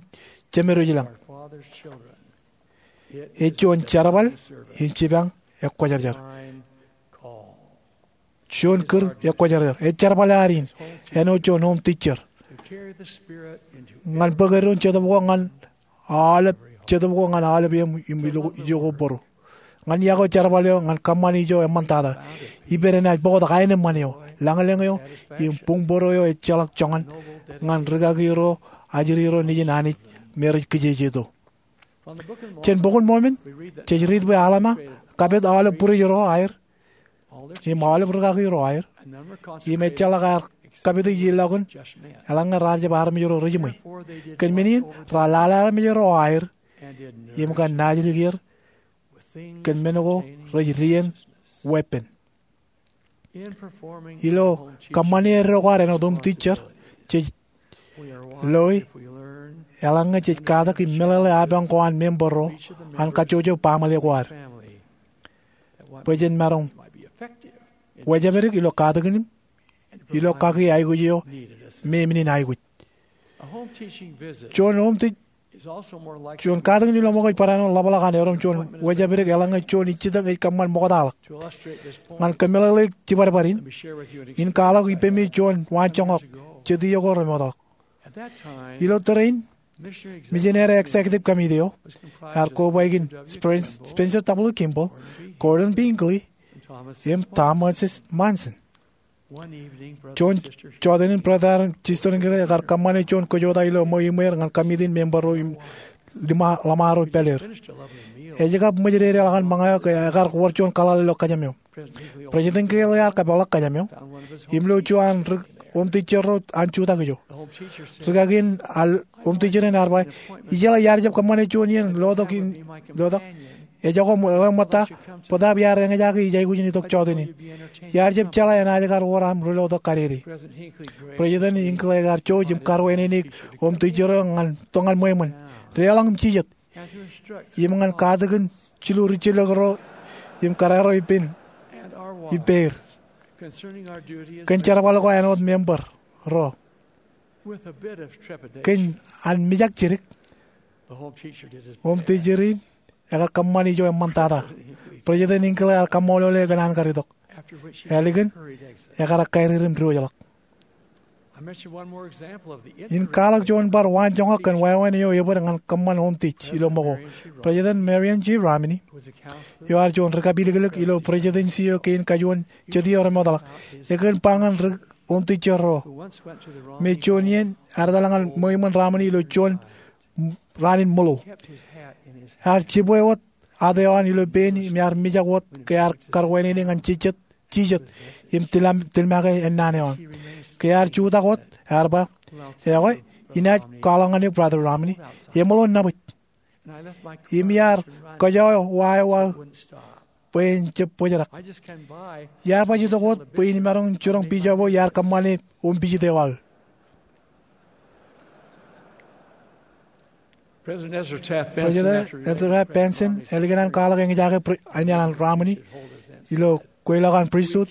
Jemedwōj lañ. Ej juon jerbal in jipañ ekwōjarjar. Juon kūr ekwōjarjar. Ej jerbal ad in āinwōt juon home teacher ñan bōk eddoin Jetōb ko ñan aolep, Jetōb ko ñan aolep eṃ im ijo ko bōro. Ñan iọkwe jerbal eo ñan kōṃṃan ijo eṃṃantata, ippān enaaj bōktok aenōṃṃan eo, lañlōñ eo, im buñbōro eo ejjeḷọk joñan ñan rūkaki ro, ajri ro nejin Anij me rej kijejeto. Jān Bok in Mormon, jej riit bwe Alma kapit aolep pris ro aer im aolep rūkaki ro aer, im ejjeḷọk aer kapit ijellọkun, eḷaññe raar jab armej ro rejiṃwe. Kōn men in, raar lale armej ro aer im kar naajdik er kōn men ko rej dien weeppān. Ilo kōṃṃane eddo ko ad āinwōt home teacher, jej loi eḷaññe jej katak im meḷeḷe apañ ko an member ro an kajjojo baaṃle ko ad bwe jen maroñ wōjāpdik ilo katakin im ilo kaki aikuj eo me eṃṃan aikuj. Juon home teach Juon katakin ilo ṃōko ej barāinwōt ḷapḷọk an erom juon wōjāpdik eḷaññe juon ijjitōñ ej kōṃṃan ṃoktaḷọk. Ñan kōmeḷeḷeik jibadbad in, in kwaḷọk ippemi juon waanjoñak jet iiō ko remootḷọk. Ilo tōre in, Missionary Executive Committee eo ear kobaik in Spen-, Spencer W. Kimball, Gordon B. Hinckley, im Thomas S. Monson. Juon jọteen in, Brother im Sister Hinckley ekar kōṃṃane juon kōjota ilo ṃweiṃwe er ñan kamitiin member ro im ḷōṃaro pād er. Ej kab ṃōjdedeḷọk an ṃōñā eo ke ekar wōr juon kaḷaḷ ilo kōjām eo. President Hinckley ear kapeḷḷọk kōjām eo im lo juon an ri home teacher ro an jutak ijo. Rūkaki in an home teacher in ear ba, ijeḷā iar jab kōṃṃane juon iien lotok in, lotok. Ejako ṃōtta, bōtaab iar eñjake ij aikuj in itok jọteen in. Iar jab jeḷā enaaj kar wōr aṃ ri lotok kadede. President Hinckley ekar jouj im karuwaineneik home teacher eo ñan toñan ṃweiṃōn, deḷọñ im jijet, im ñan katakin jilu rijjilōk ro im kōrā ro ippān, ippāer kōn jerbal ko āinwōt member ro. Kōn an mijak jidik, home teacher in ekar kōṃṃan ijo eṃṃantata. President Hinckley ear kaṃṃoolole kōn an kar itok. Ālikin, ekar kairir im diwōjḷọk. In kwaḷọk juon bar waanjoñak kōn wāween eo ebōd ñan kōṃṃan omtij ilo ṃōko. President Marion G. Romney, eo ear juon ri-kapilōklōk ilo presidency eo kein kajuon Jetiō remootḷọk, ekōn ba ñan ri-omtijjerro me juon iien ear etal ñan ṃweo iṃōn Romney ilo juon raan in ṃōḷo. Ear jibwe wōt hat eo an ilo pein im ear mijak wōt ke ear karwānene ñan jijet, jijet im tilmake ennaan eo an. Ke ear jutak wōt, ear ba, ekwe, inaaj kwaḷọk ñan eok, Brother Romney, eṃōḷo nabōj. Im iar kōjọọwa eō aō bwe en jab bōjrak. Iar baj itok wōt bwe in maroñ jiroñ bishop eo iar kōṃṃane ompijit eo aō. President Ezra Taft Benson, ālikin an kwaḷọk eñjake President Romney ilo kweilọk an pristut,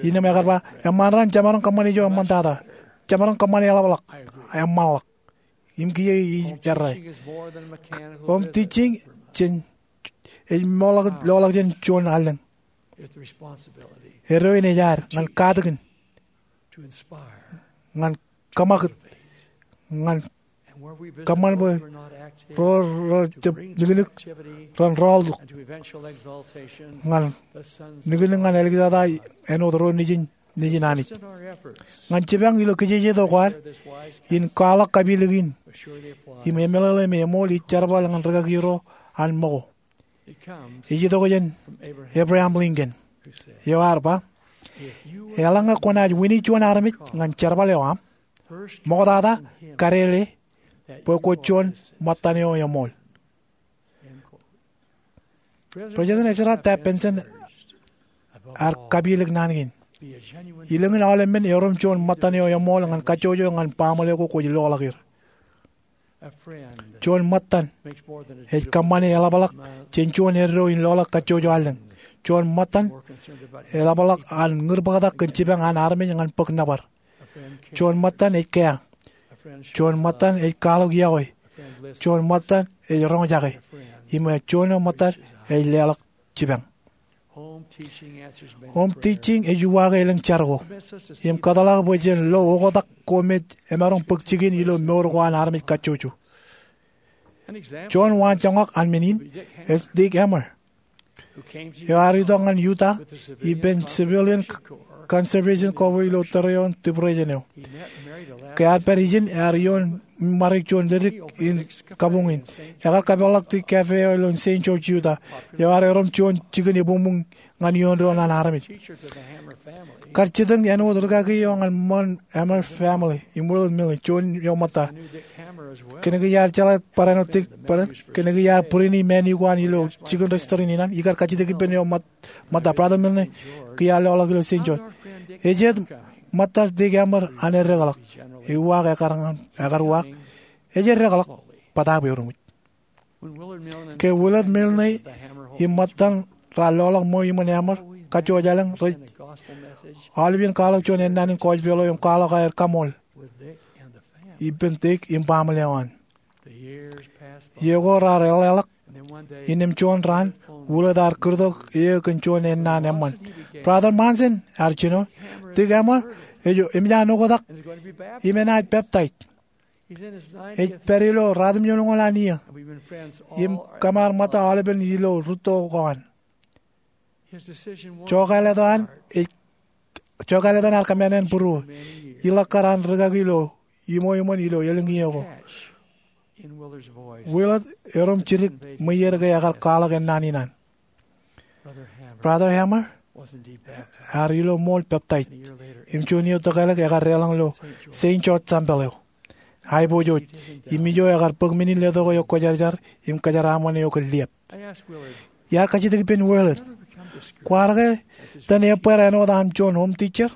innām ekar ba, eṃṃan raṇ jemaroñ kōṃṃane ijo eṃṃantata. Jemaroñ kōṃṃane eḷapḷọk, eṃṃanḷọk. Im kiiō ij errā. Omtijjing jān, ej ṃool loḷọk jān juon allōñ. Eddo in ej ad ñan katakin, ñan kōṃakūt, ñan kōṃṃan bwe ro rej jab niknik ren rọọltok, ñan niknik ñan āliktata āinwōt ro nejin, nejin Anij. Ñan jipañ ilo kijejeto ko ad, in kwaḷọk kapilōk in im emeḷeḷe me eṃool ij jerbal ñan rikaki ro an ṃōko. Ej itok jān Abraham Lincoln, eo ear ba, eḷaññe kwōnaaj wini juon armej ñan jerbal eo aṃ, ṃoktata kadele bwe kwōj juon ṃōttan eo eṃool. President Ezra Taft Benson ear kapilōk naan kein. Ilōñin aolep men erom juon ṃōttan eo eṃool ñan kajjojo ñan baaṃle ko kwōj loḷọk er. Juon ṃōttan ej kōṃṃane eḷapḷọk jān juon eddo in loḷọk kajjojo allōñ. Juon ṃōttan eḷapḷọk an ñūrbōktak kōn jipañ an armej ñan bōk nōbar. Juon ṃōttan ej kea. Juon ṃōttan ej kwaḷọk iọkwe. Juon ṃōttan ej roñjake. Im juon eo ṃōttan ej leḷọk jipañ. Omtijjing ej uwaake elōñ jar ko im kōtḷọk bwe jen lo oktak ko me emaroñ bōk jikin ilo mour ko an armej kajjojo. Juon waanjoñak an men in ej Dick Emer, eo ear itok ñan Utah ippān Civilian Conservation Corps ilo tōre eo an diprisōn eo. Ke ear pād ijin, ear ioon ṃarik juon ledik in kabuñ in. Ekar kapeḷḷọk ti cafe eo ilo Saint George, Utah, eo ear erom juon jikin ebuñbuñ ñan ioon doon an armej. Kar jitōñ āinwōt rikaki eo ñan ṃōn Emer family im Willard Milne, juon eo ṃōtta. Kōnke iar jeḷā barāinwōt Dick, barāinwōt, kōnke iar būrini māni ko an ilo jikin restaurant in an, ikar kajjitōk ippān eo ṃōt ṃōtta, Brother Milne, kiiō ear loḷọk ilo Saint George. Ejjet ṃōttar Dick Emer an eddekḷọk. Ewōr ekar ñan, ekar uwaak, ej eddekḷọk, bōtaab eruṃwij. Ke Willard Milne im ṃōttan raar loḷọk ṃweo iṃōn Emer, kajjojo allōñ rej aolep iien kwaḷọk juon ennaan in gospel eo im kwaḷọk aer kaṃool ippān Dick im baaṃle eo an. Iiō ko raar eḷḷāḷọk, innām juon raan, Willard ear kūrtok eō kōn juon ennaan eṃṃan. Brother Monson, ear jino, Dick Emer ej, eṃōj an oktak im enaaj peptaij. Ej pād ilo ratimjuonñoul an iiō im kōm ar ṃōtta aolepen ilo rūtto ko an. Jokālet eo an ej, jokālet eo an ear kōṃṃan ānbwinnier. Iḷọk kar an rikaki ilo iṃweo iṃōn ilo elōñ iiō ko. Willard erom jidik ṃweier ke ekar kwaḷọk ennaan in an. Brother Hammer ear ilo ṃool peptaij im juon iiō tokālik ekar deḷọñ ilo Saint George Tempel eo. Aiboojoj, im ijo ekar bōk men in letok eo kwōjarjar im kōjeraaṃṃan eo kōn liep. Iar kajjitōk ippān Willard, kwaar ke itōn ebbeer āinwōt aṃ juon home teacher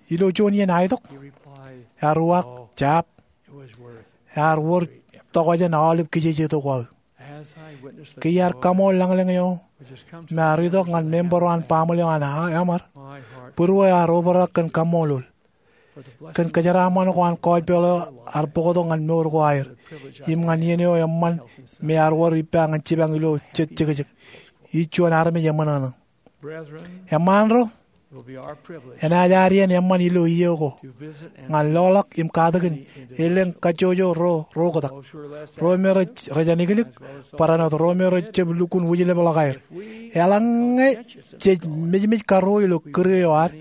ilo juon iien aitok? Ear uwaak, jab. Ear wōr tokjān aolep kijejeto ko aō. Ke iar kaṃool lañlōñ eo me ear itok ñan member eo an baaṃle eo an Hammer, būruō ear obrak kōn kaṃṃoolol kōn kōjeraaṃṃan ko an gospel eo ear bōktok ñan mour ko aer im ñan iien eo eṃṃan me ear wōr ippa ñan jipañ ilo jet jekjek. Ij juon armej eṃōṇōṇō. Eṃṃaan ro, enaaj ad iien eṃṃan ilo iiō ko ñan loḷọk im katakin elōñ kajjojo ro, ro oktak. Ro me rej, rej aniklik, barāinwōt ro me rej jab lukkuun wūjlepḷọk aer. Eḷaññe jej mejmej karuo ilo kūr eo ad,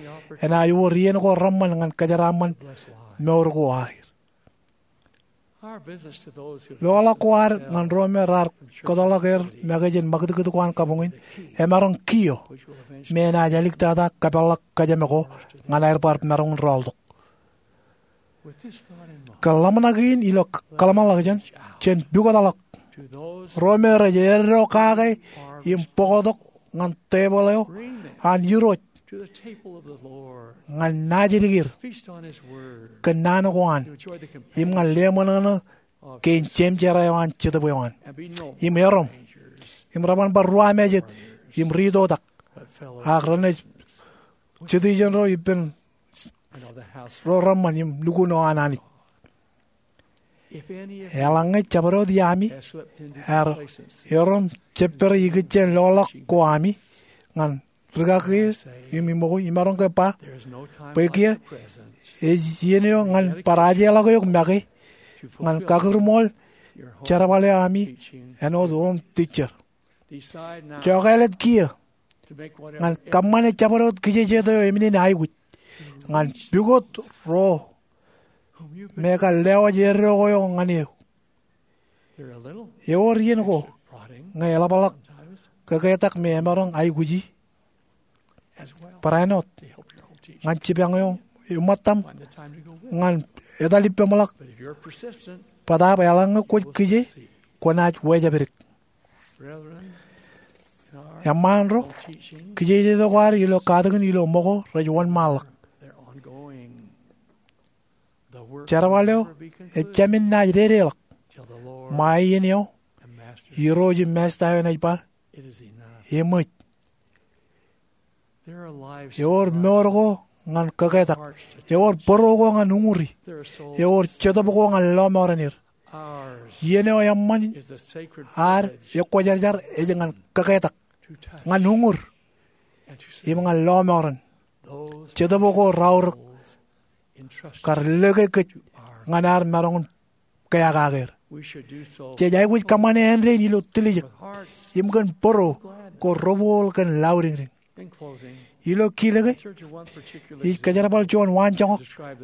enaaj wōr iien ko reṃṃan ñan kōjeraaṃṃan mour ko aer. Loḷọk ko ad ñan ro me raar kōtḷọk er make jān ṃakūtkūt ko an kabuñ in, emaroñ kiiō me enaaj aliktata kōpeḷḷọk kōjām ko ñan aer bar maroñ in rọọltok. Kōn ḷōmṇak in ilo kōḷmānḷọkjeṇ, jen pukotḷọk ro me rej eddo kake im bōktok ñan tebōḷ eo an Irooj, ñan naajdik er kōn naan ko an, im ñan leṃōṇōṇō kein jemjerā eo an Jetōb eo an. Im erom, im reban bar ruwamāejet im ri-itoitak, ak renaaj jete ijeṇ ro ippān ro reṃṃan im nukun eo an Anij. Eḷaññe jabdewōt iaami ear erom jepper ikijjien loḷọk ko ami ñan rūkaki im iṃōki, imaroñ ke ba bwe kiiō ej iien eo ñan bar ajeḷọk eok make ñan kakūrṃool jerbal eo ami āinwōt oom tijjer. Jokāāl jet kiiō ñan kōṃṃane jabdewōt kijejet eo eminene aikuj ñan pukot ro me kar lewōj eddo ko eo ñan eok. Ewōr iien ko ñe eḷapḷọk kōketak me emaroñ aikuji barāinwōt ñan jipañ eo eṃṃan etaṃ ñan etal ippemḷọk. Bōtaab eḷaññe kwōj kije, kwōnaaj wejāpdik. Eṃṃaan ro, kijejet ko ad ilo katakin ilo ṃōko rej wōnṃaanḷọk. Jerbal eo ejāmin naaj dedeḷọk ṃae iien eo Irooj im Masta eo enaaj ba, eṃōj. Ewōr mour ko ñan kōketak. Ewōr bōro ko ñan uñuri. Ewōr jetōb ko ñan lọmọọren er. Iien eo eṃṃan ad ekwōjarjar ej ñan kōketak, ñan uñur, im ñan lọmọọren jetōb ko raorōk kar lōke kōj ñan ad maroñ in kea kake er. Jej aikuj kōṃṃane āindein ilo tiljek im kōn bōro ko robool kōn lauriñriñ. Ilo kilōke, ij kōjerbal juon waanjoñak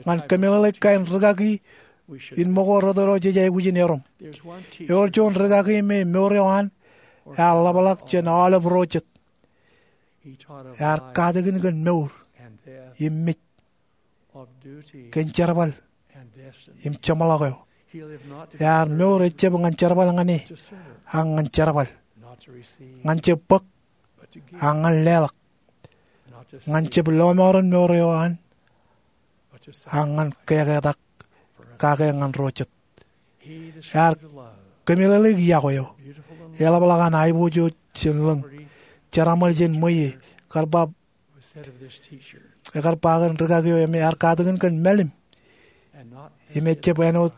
ñan kōmeḷeḷeik kain rūkaki in ṃōko rot ro jej aikuj in erom. Ewōr juon rūkaki me mour eo an ear ḷapḷọk jān aolep ro jet. Ear katakin kōn mour im mej, kōn jerbal im jeṃḷọk eo. Ear mour ejjab ñan jerbal ñan e, ak ñan jerbal, ñan jab bōk, ak ñan leḷọk, ñan jab lọmọọren mour eo an, ak ñan keketak kake ñan ro jet. Ear kōmeḷeḷeik iọkwe eo eḷapḷọk an aiboojoj jān lōñ, jeraṃōl jān ṃweiie, kar ba ekar ba kōn rūkaki eo im ear katakin kōn mālim im ejjab āinwōt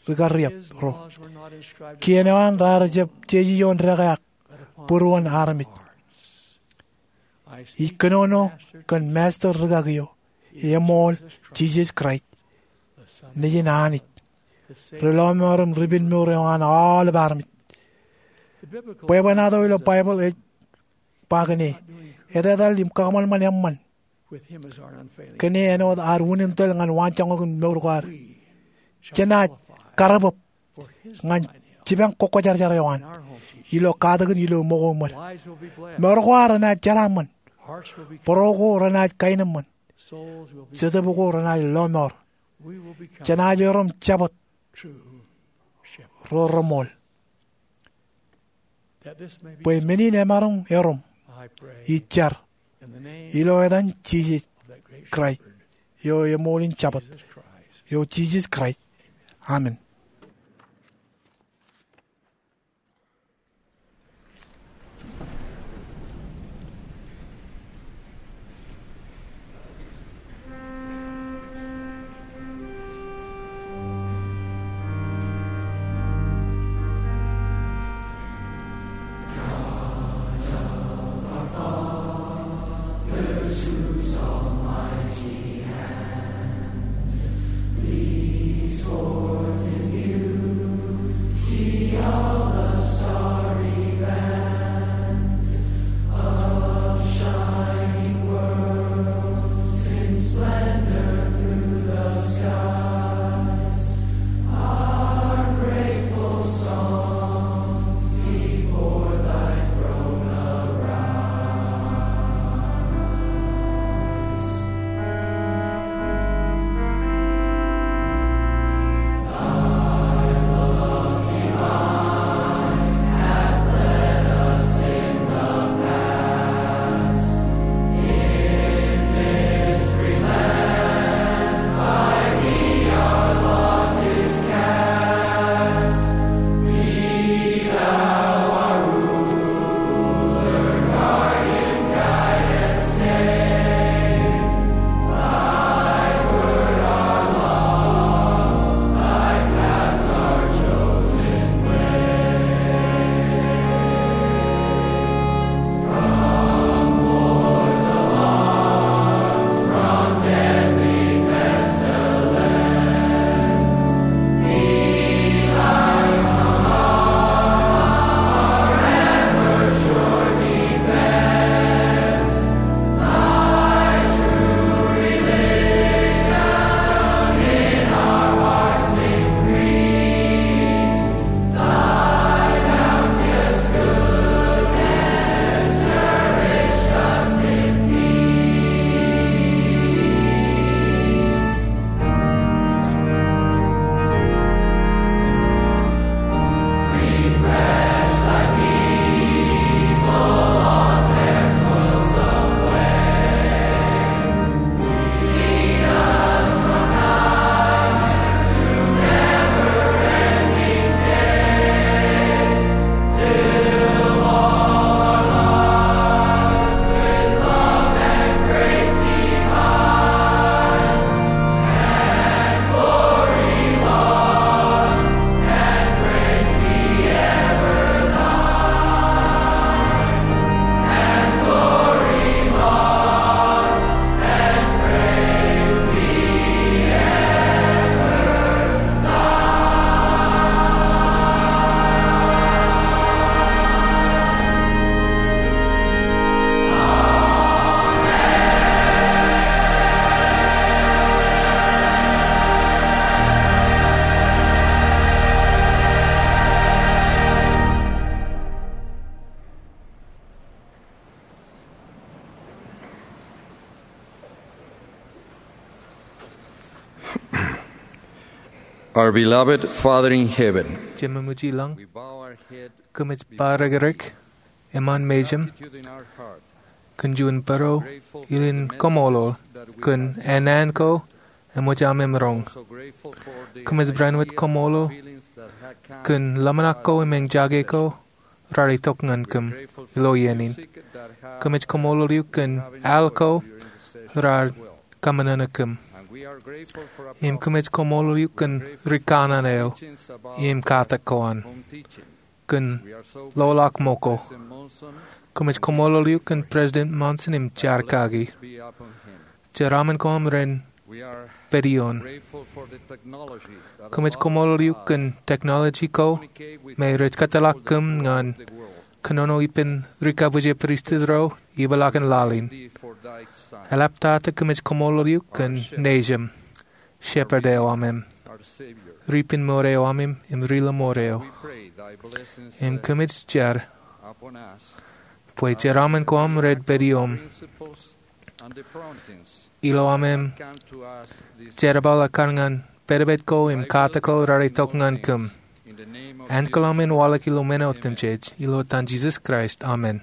rūkariab ro. Kien eo an raar jab jeje ioon dekā ak būruon armej. Ij kōnono kōn Masta rūkaki eo eṃool, Jisōs Kraist, Nejin Anij, ri-lọmọọr im ri-pinmour eo an aolep armej. Bwebwenato ilo Baibōḷ ej ba kōn e, etetal im kakōṃanṃan eṃṃan kōn e āinwōt ad unin tōl ñan waanjoñak in mour ko ad. Jenaaj karreob ñan jipañ kwōjarjar eo an ilo katakin ilo ṃōko ṃōd. Mour ko ad renaaj jeraaṃṃan. Bōro ko renaaj kaenōṃṃan. Jetōb ko renaaj lọmọọr. Jenaaj erom Jabōt ro reṃool. Bwe men in emaroñ erom, ij jar ilo etan Jisōs Kraist eo eṃool in Jabōt, eo Jisōs Kraist. Amen. Our beloved Father in heaven, Jemān eo ilo laḷ, kōmij ba rikirek eṃṃan mejaṃ kōn juon bōro ilo koṃṃool kōn ānaan ko eṃōj aṃ roñ. Kōmij bar wōt koṃṃool kōn ḷōmṇak ko im eñjake ko raar itok ñan kōm ilo iien in. Kōmij koṃṃool eok kōn al ko raar kōṃṃan kōm. Im kōmij koṃṃool eok kōn ri kanaan eo im katak ko an kōn ḷoḷḷap ṃōko. Kōmij koṃṃool eok kōn President Monson im jar kaki. Jeraṃṃan ko aṃ ren pād ioon. Kōmij koṃṃool eok kōn technology ko me rej kōtḷọk kōm ñan kōnono ippān ri kabwije pristut ro ipeḷaakin laḷ in. Eḷaptata kōmij koṃṃool eok kōn Nejūṃ, Shepherd eo aṃ im Ri pinmour eo aṃ im Ri lọmọọr eo. Im kōmij jar bwe jeraṃṃan ko aṃ rej pād ioom ilo aṃ im jerbal ekkar ñan pedped ko im katak ko raar itok ñan kōm. Ankilaan aṃ en waḷọk ilo men otemjej ilo etan Jisōs Kraist, amen.